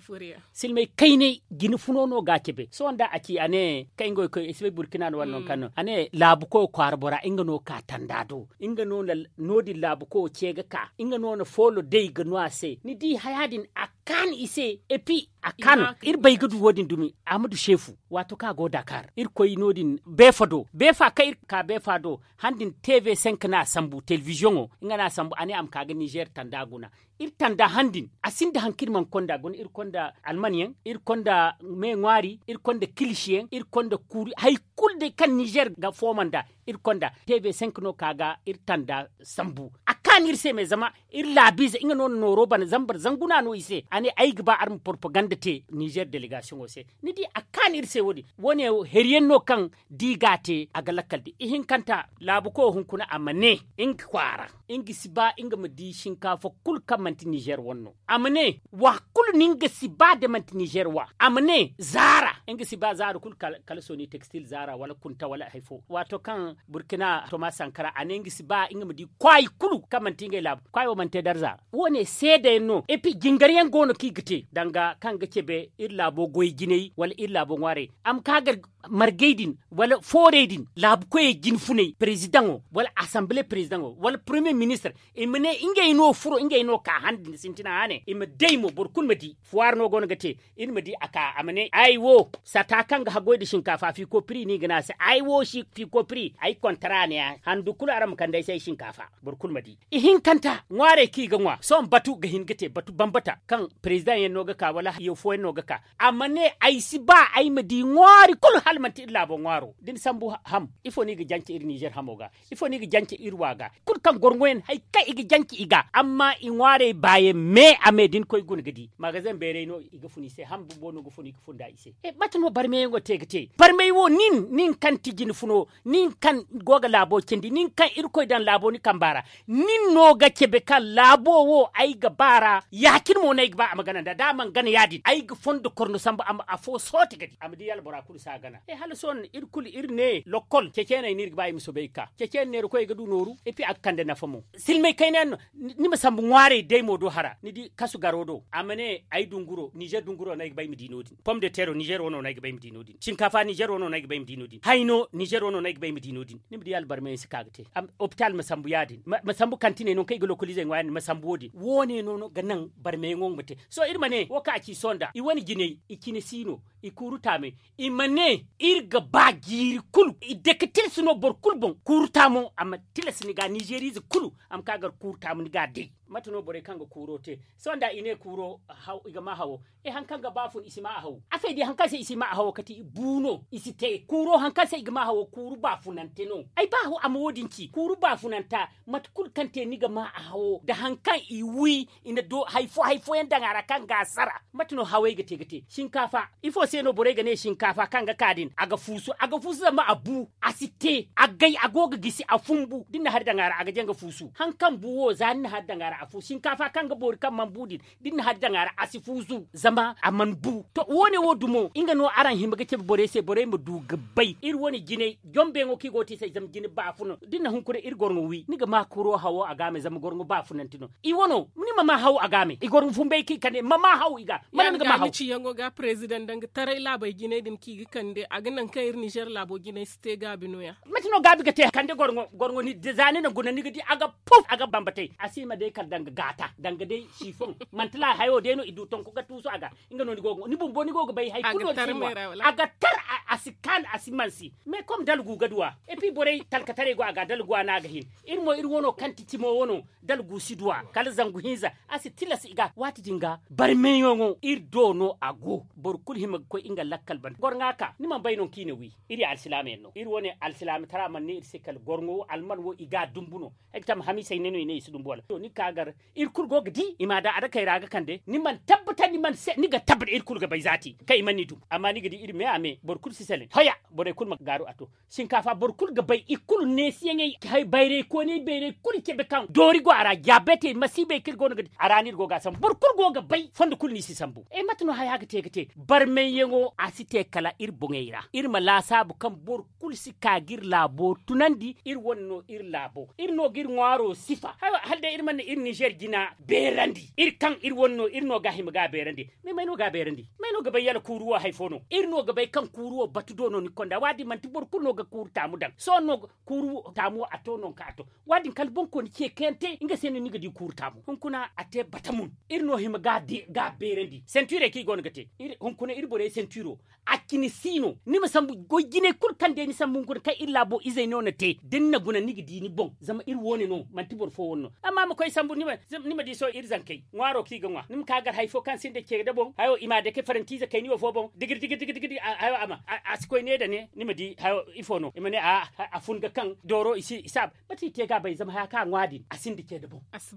Silmay kaynay jine funo no ga a cabe sohõ nda a ci a ne kaŋ nga wo koy ay si bay burkina no wala nangu kaŋ no a ne laabu koyo kwaara bora nga no ka tanda do nga no na no- din laabu koyo ce ga ka nga no na foolo day ga no a se ni di haya din a kaanu i se. Epi a kaanu iri bay ga du wo- din dumi a ma du seefu. Waato kaŋ a go dakar iri koy no- din beefa do beefa kaŋ iri ka beefa do han din tv cinq no a sambu telebiziyoŋo nga no a sambu a ne a ma ka ga nizer tanda guna. Iri tanda han din a sinda hari kaŋ iri mana konda guna iri konda alman yaŋ iri konda me ŋwaari iri konda kilisi yaŋ iri konda kuuri hari kulu day kaŋ nizer ga fooma nda iri konda tv cinq no ka ga iri tanda sambu. A kaanu iri se me zama iri laabiize nga no na nooro bana zambar zanguna no i se a ne ay ga ba araŋ ma porpaganda te nizer delegasiyoŋo se. Ni di a kaanu iri se wo- din wo- ne hari yaŋ no kaŋ da i ga a te a ga lakkal di ihinkanta laabu koyo hunkuna a ma ne nga kwaara nga si ba nga ma di sinkaafa kulu kaŋ manti nizer wane no. A ma ne wa kulu no nga si ba da manti nizer wa a ma ne zaara nga si ba zaara kulu kala sooni tekstil zaara wala kunta wala hari fo waato kaŋ burkina toma sankara a ne nga si ba nga ma di kwaayi kulu kaŋ manti ngey laabu kwaayi wo mana te darza. Wo- ne seeda yaŋ no epi jingar yaŋ go no kaŋ i ga te danga kaŋ ga cabe iri laabo goy jinay wala iri laabo ŋwaarey a ma ka gar margey din wala foorey din laabu koyey jinfunay perezidaŋo wala asanbile perezidaŋo wala poromiyee ministir i ma ne ngey no furo ngey no ka han din sintina hane i ma day mo boro kulu ma di fuwaari no go no ga te. Iri ma di a ka a ma ne ay wo sata kaŋ ga haggoy nda sinkaafa fiiko piri no i ga ne a se ay wo fiiko piri ay kontara ne ya handu kulu araŋ ma kande ay se ay sinkaafa. Boro kulu ma di ihinkanta ŋwaarey kaŋ i ga ŋwa sohõ batu ga hin ga te batu bambata kaŋ perezidaŋ yaŋ no ga ka wala hayyo fooyaŋ no ga ka a ma ne ay si ba ay ma di ŋwaari kulu hala manti iri laabo ŋwaaro da ni sambu ham ifo no i ga jance iri nizer hamo ga? Ifo no i ga jance iri wa ga kulu kaŋ gorŋoyaŋ hari kaŋ i ga jance i ga amma i ŋwaarey baayaŋ me a me da ni koy guna ga di magazeŋ beeray no i ga fun i se ham bumbo no ga fun i ga fun nda i se. Mate no barmeyaŋo te ga te barmay wo nin nin kaŋ ti jine funo nin kaŋ go ga laabo cindi nin kaŋ irkoy daŋ laabo ni kamba ra nin no ga cabe kaŋ laabo wo ay ga ba ra ya- cine mo no ay ga ba a ma gana nd'a da a mana gana ya- din ay ga fondo korno sambu a ma afo soote ga di a ma di albora kulu si a gana. Hala sohõ iri kulu iri ne lokkol ceceeney no iri ga ba i ma soobay ga ka ceceene neerakoyey ga du nooru epi a ga kande nafa mo. Silmay kayna yaŋ no ni ma sambu ŋwaarey day mo do hara ni di kasu garo do a ma ne ay dunguro nizer dunguro no ay ga ba ay ma di no- din pom de tero nizer wano no ay ga ba ay ma di no- din sinkaafa nizer wano no ay ga ba ay ma di no- din hayno nizer wano no ay ga ba ay ma di no- din. Ni ma di albarmayaŋ si ka ga te opitaal ma sambu ya- din ma sambu kantiney nangu kaŋ i ga lokoliizey ŋwa ya- din ma sambu wo- din wo- ne no ga naŋ barmayaŋo nga ma te. Sohõ iri ma ne wo kaŋ a ci sohõ nda i wane jinay i cine si no i kuuru taamay i ma ne iri ga ba jiiri kulu i dake tilas no boro kulu boŋ kuuru taamo a ma tilas ni ga nizeriize kulu a ma ka gar kuuru taamu ni ga a day. Mate no borey kaŋ ga kuuro te sohõ nda i ne kuuro i ga ma hawo. Hari kaŋ ga baafun i si ma a hawo afey di hari kaŋ se i si ma a hawo kati bu no i si te kuuro hari kaŋ se i ga ma hawo kuuru baafunante no. Ay ba hawo a ma wo- din ci kuuru baafunanta mate kulu kaŋ te ni ga ma a hawo nda hari kaŋ i wi i na do hari fo hari fooyaŋ daŋ a ra kaŋ ga a sara. Mate no hawey ga te ga te sinkaafa ifo se no borey ga ne sinkaafa kaŋ ga ka din a ga fuusu a ga fuusu zama a bu a si te a gay a go ga gisi a fumbu da ni na hari daŋ a ra a ga jaŋ ga fuusu hari kaŋ bu wo za ni na hari daŋ a ra. a fu sinkaafa kaŋ ga boori kaŋ mana bu din da iri na hari daŋ a ra a si fuuzu zama a mana bu. To wo- ne wo dumo nga no araŋ hima ga cabe borey se borey ma du ga bay iri wane jinay jombeyaŋo kaŋ i go ga te i se zama jine baafuna da ni na hunkuna iri gorŋo wi ni ga ma kuro hawo a ga a me zama gorŋo baafunante no. I wano ni ma ma haw a ga me i gorŋo fumbay kaŋ i kande ma ma haw i ga. Mala ni ga ma haw. Ciyaŋo ga president danga taray laabey jinay din kaŋ i ga kande a ga naŋ kaŋ iri nizer laabo jinay si te gaabi no- ya. Mate no gaabi ga te kande gorŋo gorŋo ni za ni na guna ni ga di a ga puf a ga bambatay a si ma day kala danga gaata danga day sifoŋ. Manti laala hayo day no i du tonko ga tuusu a ga. Nga no ni go ga bay hari kulu no ni si ŋwa. A ga tar a si kaanu a si mansi. Mais comme dalgu ga duw'a. Et puis borey talkataray go a ga dalgu a no a ga hin. Iri mo iri wano kaŋ ti cimo wano dalgu si duw'a kala zangu hinza a si tilas i ga waati din ga barmeyaŋo iri do no a go. Boro kulu hima ga koy nga lakkal banda gorŋa ka ni mana bay no kaŋ i na wi. Iri alsilaama yaŋ no iri wane alsilaama tara mana ne iri se kala gorŋo wo alman wo i ga a dumbu no. Ay ga tama hamiisey ne no i ne i si dumbu wala to ni ga ka gar. Iri kulu go ga di i ma daŋ a dakey ra ga kande ni mana tabbata ni ga tabbata iri kulu ga bay zaati kaŋ i mana ni dumbu amma ni ga di iri me a me boro kulu si selaŋ hoya. Borey kulu ma gaaru a to. Sinkaafa boro kulu ga bay i kulu neesiyaŋey bayray kooney bayray kulu cabe kaŋ doori go a ra jaabetey masiibey kaŋ iri go no ga di a ra no iri go ga a sambu boro kulu go ga bay fondo kulu no i si sambu. Mate no haya ga te ga te barmayyaŋo a si te kala iri boŋey ra iri ma laasaabu kaŋ boro kulu si ka ga iri laabo tunandi iri wane no iri laabo iri no ga iri ŋwaaro sifa. Hala day iri mana iri nizer jina beerandi iri kaŋ iri wane no iri no ga a hima ga a beerandi. May no ga a beerandi may no ga bay yala kuuru wo hari fo no iri no ga bay kaŋ kuuru wo batu do no ni konda waadi manti boro kulu no ga kuuru taamu daŋ sohõ no kuuru taamu a to nangu kaŋ a to. Waadi kala boŋ kooni ce kayante nga se no ni ga di kuuru taamu hunkuna a te batamun. Iri no hima ga a beerandi sentuurey kaŋ i go no ga te. Hunkuna iri borey sentuuro a cine si no ni ma sambu goy jinay kulu kaŋ day ni sambu hunkuna kaŋ iri laabo izey no na te da ni na guna ni ga di ni boŋ zama iri wo- ne no manti boro fo wane no. Amma ma koy sambu ni ma di sohõ iri zankey ŋwaaro kaŋ i ga ŋwa ni ma ka gar hari fo kaŋ sinda ce da boŋ hayo i ma a dake farantiize kayni wo fo boŋ digir digir digir digir hayo a ma a si koy ne da ne ni ma di hayo ifo no i ma ne a fun ga kaŋ dooro i si a ba mate i te ga a bay zama haya kaŋ a ŋwa din a sinda ce da boŋ. A si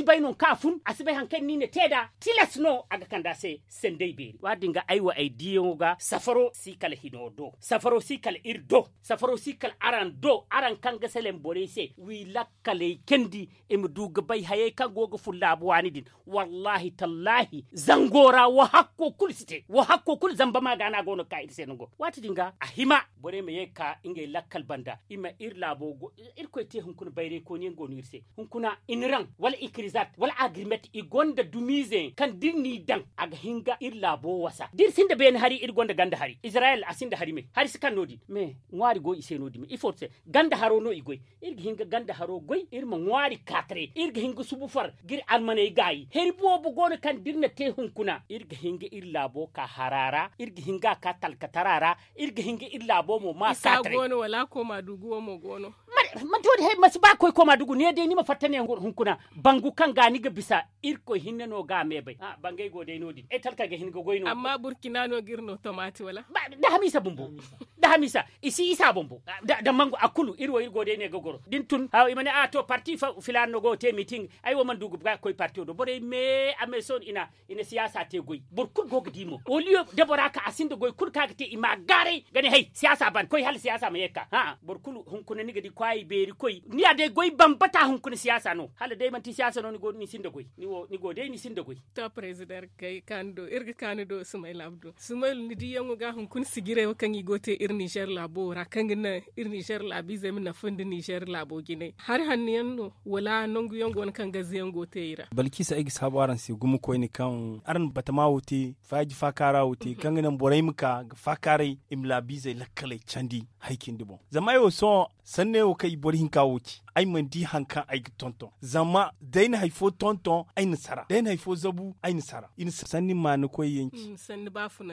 bay nangu kaŋ a fun a si bay hari kaŋ ni na te nd'a tilas no a ga kande a se. Sanday beeri waadin ga ay wo ay diiyaŋo ga safaro si kala hino do safaro si kala iri do safaro si kala araŋ do araŋ kaŋ ga selaŋ borey se wi lakkaley candi. I ma du ga bay hayey kaŋ go ga fun laabu waani din. Wallaahi tallaahi zango ra wo hakko kulu si te wo hakko kulu zamba ma ga no a go no ga ka iri se nango waati din ga a hima borey ma ye ga ka ngey lakkal banda i ma iri laabo go. Irkoy te hunkuna bayray kooni yaŋ go no iri se hunkuna iniraŋ wala ikirizat wala agirmet i gonda dumiize yaŋ kaŋ da iri n'i daŋ a ga hin ga iri laabo wasa da iri sinda beene hari iri gonda ganda hari izirayel a sinda hari me hari si kaŋ no- din me ŋwaari go i se no- din me ifo se ganda haro no i goy. Iri ga hin ga ganda haro goy iri ma ŋwaari kaataray iri ga hin ga subu far ga iri almaney gaayi hari boobo go no kaŋ da iri na te hunkuna iri ga hin ga iri laabo ka hara ra iri ga hin ga a ka talkatara ra. Iri ga hin ga iri laabo mo ma kaataray. Manti wo- din hay ma si ba ga koy kooma dugu ne day ni ma fatta ne hunkuna bangu kaŋ ga ni ga bisa. Irkoy hinne no ga a me bay bangay go day no- din ay talkey ga hin ga goy no amma burkina no ga iri no tomati wala? Da hamiisa bumbo da hamiisa i si isa bumbo. Da mangu a kulu iri wo iri go day ne ga goro da ni tun haw i ma ne a to parti filaana no go ga te miiting. Ay wo mana du ga ba ga koy parti wo do borey me a me sohõ i na i na siyaasa te goy boro kulu go ga di mo oliyo da bora ka a sinda goy kulu kaŋ a ga te i ma a gaaray ga ne hay siyaasa ban koy hala siyaasa ma ye ga ka boro kulu hunkuna ni ga di kwaayi beeri koy ni ya day goy bambata hunkuna siyaasa no hala day manti siyaasa no ni go day ni sinda goy. To president kay kaani do iri ga kaani do sumayla abdu sumayla ni diyaŋo ga hunkuna sijiray wo kaŋ i go ga te iri nizer laabo ra kaŋ ga naŋ iri nizer laabiizey ma nafa nda nizer laabo jinay hari hanno yaŋ no wala nangu yaŋ go no kaŋ gaze yaŋ go ga te i ra? Balkisa ay ga saabu araŋ se gumo koyne kaŋ araŋ na batama wo te faaji faakaara wo te kaŋ ga naŋ borey ma ka ga faakaaray i ma laabiizey lakkaley candi. Hari cindi boŋ zama ay wo sohõ sanney wo kaŋ i boro hinka wo ci ay mana di hari kaŋ ay ga tonton zama da ay na hari fo tonton ay na sara da ay na hari fo zabu ay na sara i na sanni maana koy yaŋ ci.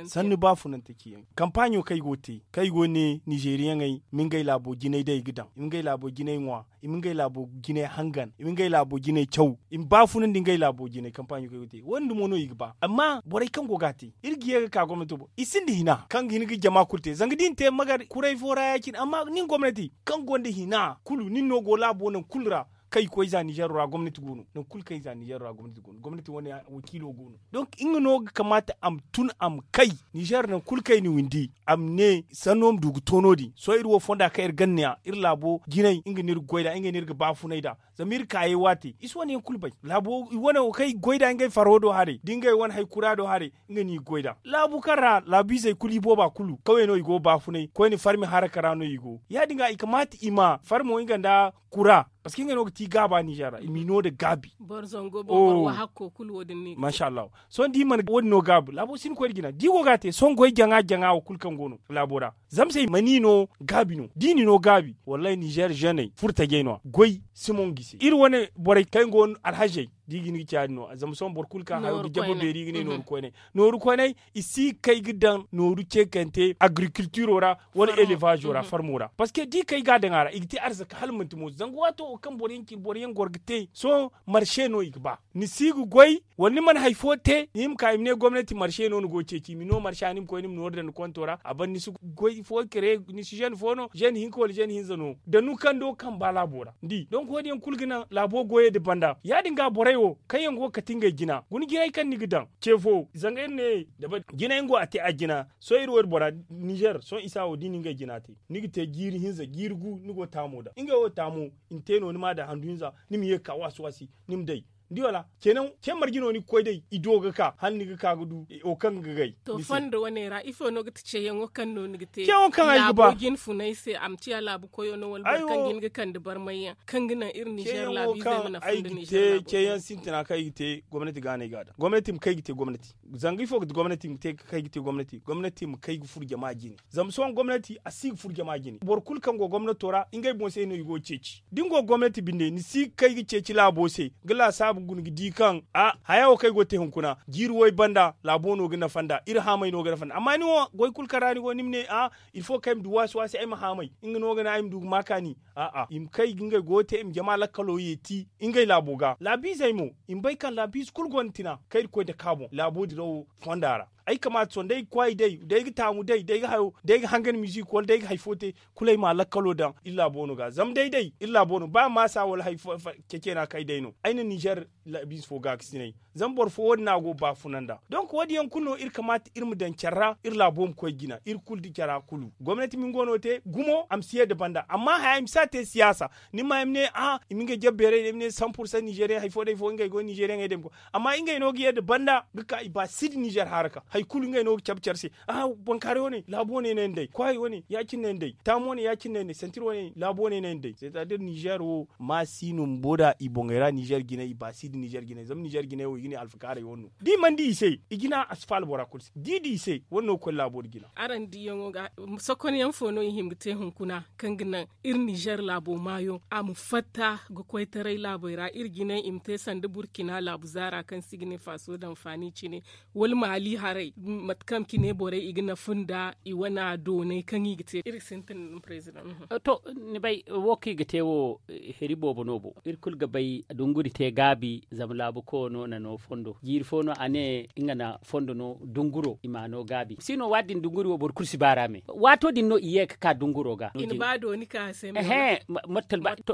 Sanni baafunante ci yaŋ kampaaɲo kaŋ ay go ga te kaŋ ay go ga ne nizeriyaŋey i ma ngey laabo jinay day ga daŋ i ma ngey laabo jinay ŋwa i ma ngey laabo jinay hangan i ma ngey laabo jinay caw i ma baafunandi ngey laabo jinay kampaaɲo kaŋ ay go ga te wo- din dumo no i ga ba amma borey kaŋ go ga a te iri ga ye ga ka gomnato boŋ i sinda hina kaŋ ga hin ga jama kulu te zanga da i na te magar kuray fo ra ya- cine amma nin gomnati kaŋ gonda hina kulu nin no go laabo nangu kulu ra. kaŋ i koy za nizeero ra gomnati go no nangu kulu kaŋ i za nizeero ra gomnati go no gomnati wane wakiilo go no. Donk nga no ga kamaata a ma tun a ma kay nizeero nangu kulu kaŋ i na windi a ma ne sanno ma du ga to no- din sohõ iri wo fonda kaŋ iri ganda ne ya iri laabo jinay nga no iri ga goy nd'a nga no iri ga baafunay nd'a. Zama iri kaayey waate i si wane yaŋ kulu bay laabo i wane wo kaŋ i ga goy nd'a ngey faro do haray da ngey wane hari kura do haray. Nga no i ga goy nd'a laabu kaŋ ra laabiizey kulu i booba kulu kawey no i go ga baafunay koyne farmi haraka ra no i go ya- din ga i kamaata i ma farmo nga nda kura. Parceque ngey no ga ti gaaba nizeer ra i m'i no nda gaabi. Boro zango boro boro wahakko kulu wo- din no i ga te. Masha allahu. Sohõ da i mana wo- din no gaabi laabo si hin ga koy nda jina da i go ga a te sohõ goy jaŋa jaŋa wo kulu kaŋ go no laabo ra. Zama se ma ni no gaabi no da i ni no gaabi wallahi nizeer zeney furo tajey no- ya goy si mongu i se iri wane borey kaŋ yaŋ go no alhazey da i ga hin ga ci ya- din no- ya zama sohõ boro kulu kaŋ hayo ga jabe beeri i ga ne nooru koyney nooru koyney i si ga kay ga daŋ nooru ceekante agrikultiro ra wala elevazo ra farmo ra parceque da i kay ga a daŋ a ra i ga te arzaka hala manti mooso zanga waato wo kaŋ boro yaŋ cine boro yaŋ goro ga te sohõ marse no i ga ba. Ni si ga goy wala ni mana hari fo te ni ma ka i ma ne gomnati marse no ni go ga ceeci i ma ni no marse ra ni ma koy ni ma nooru daŋ ni konto ra a ban ni si goy fo kere ni si zene fo no zene hinka wala zene hinza no da ni kando kaŋ ba laabo ra ni di donk wo- din yaŋ kulu ga naŋ laabo goyey nda banda ya- din ga borey wo kaŋ yaŋ go ga kate ngey jina guna jinay kaŋ ni ga daŋ ce fo zanga iri ne jinay nga wo a te a jina. Sohõ iri wo iri bora nizeer sohõ isa wo da i na ngey jina te ni ga te jiiri hinza jiiri gu ni go ga taamo daŋ ngey wo taamo i na te no ni ma daŋ handu hinza ni ma ye ga ka waasi waasi ni ma day. Ni di wala ce marje no ni ga koy day i do ga ka hala ni ga ka ga du wo kaŋ ga gay. To fondo wane ra ifo no ga ti ceyaŋo kaŋ no ni ga te ceyaŋo kaŋ ay ga ba laabo jine funay se a ma ciya laabu koyo no wala boro kaŋ ga hin ga kande barmay yaŋ kaŋ ga naŋ iri nizeer laabiizey ma nafa nda nizeer laabo ceyaŋ sintina kaŋ ay ga te gomnati ga no ay ga a daŋ gomnati ma kay ga te gomnati. Zanga ifo ga ti gomnati ma te ga kay ga te gomnati gomnati ma kay ga furo jama jine. Zama sohõ gomnati a si ga furo jama jine boro kulu kaŋ go gomnato ra ngey boŋ se no i go ga ceeci da ni go ga gomnati binde ni si ga kay ga ceeci laabo se ga laasaabu guna ga di kaŋ a haya wo kaŋ ay go ga te hunkuna jiiri way banda laabo no ga nafa nd'a iri haamey no ga nafa nd'a amma ni wo goy kulu kaŋ ra ni go ni ma ne a ilfo kaŋ ay ma du waasi waasi ay ma haamey nga no ga naŋ ay ma du ga ma kaani. A'a i ma kay ga ngey goyo te i ma jama lakkalo yeeti ngey laabo ga laabiizey mo i ma bay kaŋ laabiize kulu gonda tina kaŋ iri koy dake a boŋ laabo dirawo fonda ra. Ay kamaata sohõ day ga kwaay day day ga taamu day day ga hayo day ga hangan mizik wala day ga hari fo te kulu ay ma lakkalo daŋ iri laabo no ga zama day day iri laabo no ba maasa wala hari fo ceeceena kaŋ ay day no ay na nizeer laabiize fo gaakasinay. Zama boro fo wo- din no a go ga baafuna nd'a donk wo- din yaŋ kulu no iri kamaata iri ma daŋ care ra iri laabo ma koy jina iri kulu nda cara kulu gomnati ma nga wano te gumo a ma si ye nda banda amma haya i ma si a te siyaasa. Ni ma i ma ne a i ma ngey jabe beeray day ma ne san pursan nizeeriyaŋ hari fo day fo ngey go nizeeriyaŋey day ma koy amma ngey no ga ye nda banda ga ka i ba si nda nizeer haraka hari kulu ngey no ga cabe care se. Aha bankaaray wane laabu wane no ay na day kwaay wane ya- cine no ay na day taamu wane ya- cine no ay na day santir wane laabu wane no ay na day c'est à dire nizeer wo ma si no bumbo nd'a i boŋey ra nizeer jinay i ba si nda nizeer jinay zama nizeer jinay wo i ga ne alfakaarey wane no da i mana di i se i jina a si faala bora kulu se da i di i se wane no ga koy laabo nda jina. Araŋ diyaŋo ga sokonyaŋ fo no i hima ga te hunkuna kaŋ ga naŋ iri nizeer laabo maayo a ma fatta ga koytaray laabey ra iri jinay i ma te sanda burkina laabu zaara kaŋ se i ga ne faaso danfaani cine wala maali haray mate kaŋ cine borey i ga nafa nda i wana doonay kaŋ i ga te iri sintin president. To ni bay wo kaŋ i ga te wo heri boobo no bo iri kulu ga bay dunguri te gaabi zama laabu koyo no na no fondo jiiri fo no a ne nga na fondo no dunguro i ma no gaabi si no waati din dunguri wo boro kulu si baara me waato din no i ye ga ka dunguro ga. Ehe.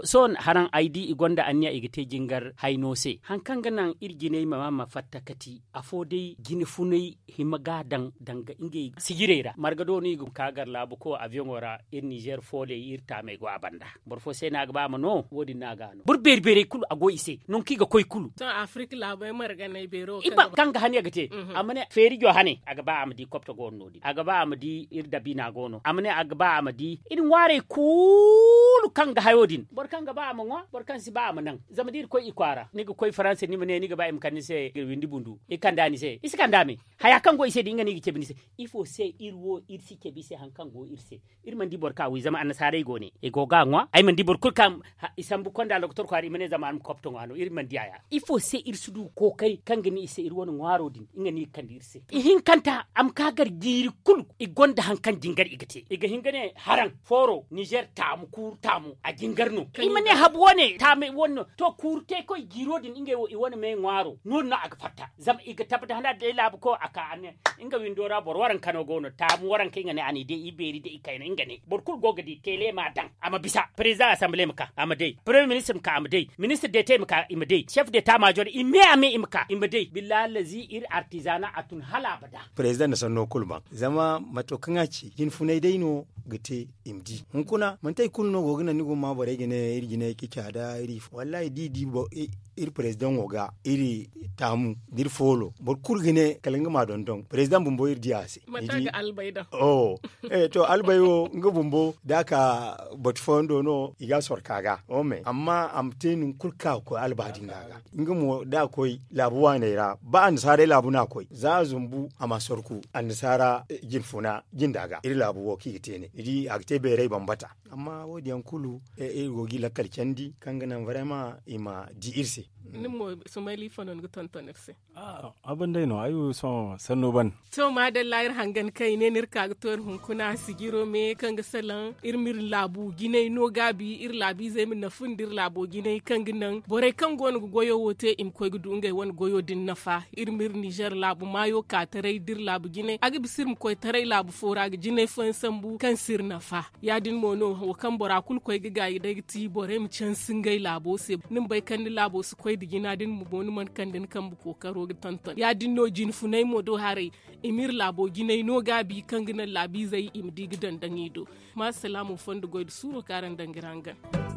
Sohõ haraŋ ay di i gonda anniya i ga te jingar hayno se hari kaŋ ga naŋ iri jinay ma ma fatta kati afo day jine funay hima ga a daŋ danga ngey sijirey ra marga do no i ga ka gar laabu koy abiyoŋo ra iri nizeer fooley iri taamey go a banda. Boro fo se no a ga ba a ma no wo- din no a ga a no boro beeri beerey kulu a go i se nangu kaŋ i ga koy kulu. Sohõ afirik laabey marganey beero kaŋ ga hane ga te a ma ne feerijo hane a ga ba a ma di kopto go no no- din a ga ba a ma di iri dabiina go no a ma ne a ga ba a ma di iri ŋwaarey kulu kaŋ ga hayo din boro kaŋ ga ba a ma ŋwa boro kaŋ si ba a ma naŋ. Zama da iri koy i kwaara ni ga koy faransa ni ma ne ni ga ba i ma kande ni se windi bundu i kanda ni se i si kanda me. Haya kaŋ go i se din nga no i ga cabe ni se. Ifo se iri wo iri si cabe i se hari kaŋ go iri se? Iri mana di boro kaŋ a wi zama annasaarey go ne i go ga a ŋwa ay mana di boro kulu kaŋ i sambu konda lokotor kwaara i ma ne zama a ma kopto ŋwa no iri mana di a. Ifo se iri si du kookari kaŋ ga ne i se iri wane ŋwaaro din nga no i ga kande iri se. Ihinkanta a ma ka gar jiiri kulu i gonda hari kaŋ jingar i ga te i ga hin ga ne haraŋ fooro nizer taamu kuuru taamu a jingar no. I ma ne habu wane taamu wane no. To kuuru te koy jiiro din ngey wo i wane me ŋwaaro no- din no a ga fatta zama i ga tabbata hana day laabu ko a ka a ne nga windo ra boro waranka no go no taamu waranka nga ne a n'i day i beeri day i kayna nga ne boro kulu go ga di teele ma a daŋ a ma bisa perezidaŋ asamble ma ka a ma day perezidaŋ ministir ma ka a ma day ministir deetey ma ka i ma day sef deeta maajor i me a me i ma ka i ma day billahi allazi iri artizana a tun hala abada. Perezidaŋ na sanno kulu baŋ zama mato kaŋ a ci jinfunay day no ga te i ma di hunkuna manti hari kulu no go ga naŋ ni go ga ma borey ga ne iri jinay ga caada iri ifo wallahi da i di iri perezidaŋo ga iri taamu da iri foolo boro kulu ga ne kala nga ma a dondon perezidaŋ bumbo iri di a se. To albay wo nga bumbo da a ka batu fooyaŋ do no i ga a sorka ga. Amma a ma te nangu kulu kaŋ a ga koy alba din ga a ga nga mo da a koy laabu waaney ra ba annasaarey laabu no a koy za a zumbu a ma a sorku annasaara jinfuna jinda ga iri laabu wo kaŋ i ga te ne ni di a ga te beeray bambata. Amma wo- din yaŋ kulu iri go ga i lakkal candi kaŋ ga naŋ varema i ma di iri se. Ni mo sumayla ifo no ni ga tonton iri se? Abin day no ay wo sohõ sanno ban. To maadalla iri hangan kaŋ i ne no iri ka ga to iri hunkuna sijiro me kaŋ ga salaŋ iri ma iri laabu jinay no gaabi iri laabiizey ma nafu nda iri laabo jinay kaŋ ga naŋ borey kaŋ go no ga goyo wo te i ma koy ga du ngey wane goyo din nafa. Iri ma iri nizer laabu maayo ka taray da iri laabu jinay a ga bisa iri ma koy taray laabu fo ra ga jinay fooyaŋ sambu kaŋ si iri nafa. Ya- din mo no wo kaŋ bora kulu koy ga gaayi day ga ti borey ma cansi ngey laabo se ni ma bay kaŋ ni laabo si koy nda jina din mo ni mana kande ni kambe kookaro ga tonton ya- din no jinfunay mo do haray. I ma iri laabo jinay no gaabi kaŋ ga naŋ laabiizey i ma di ga daŋ daŋ i do. Maasalaamo fondo goy nda suuro kaŋ araŋ daŋ ga iri hangan.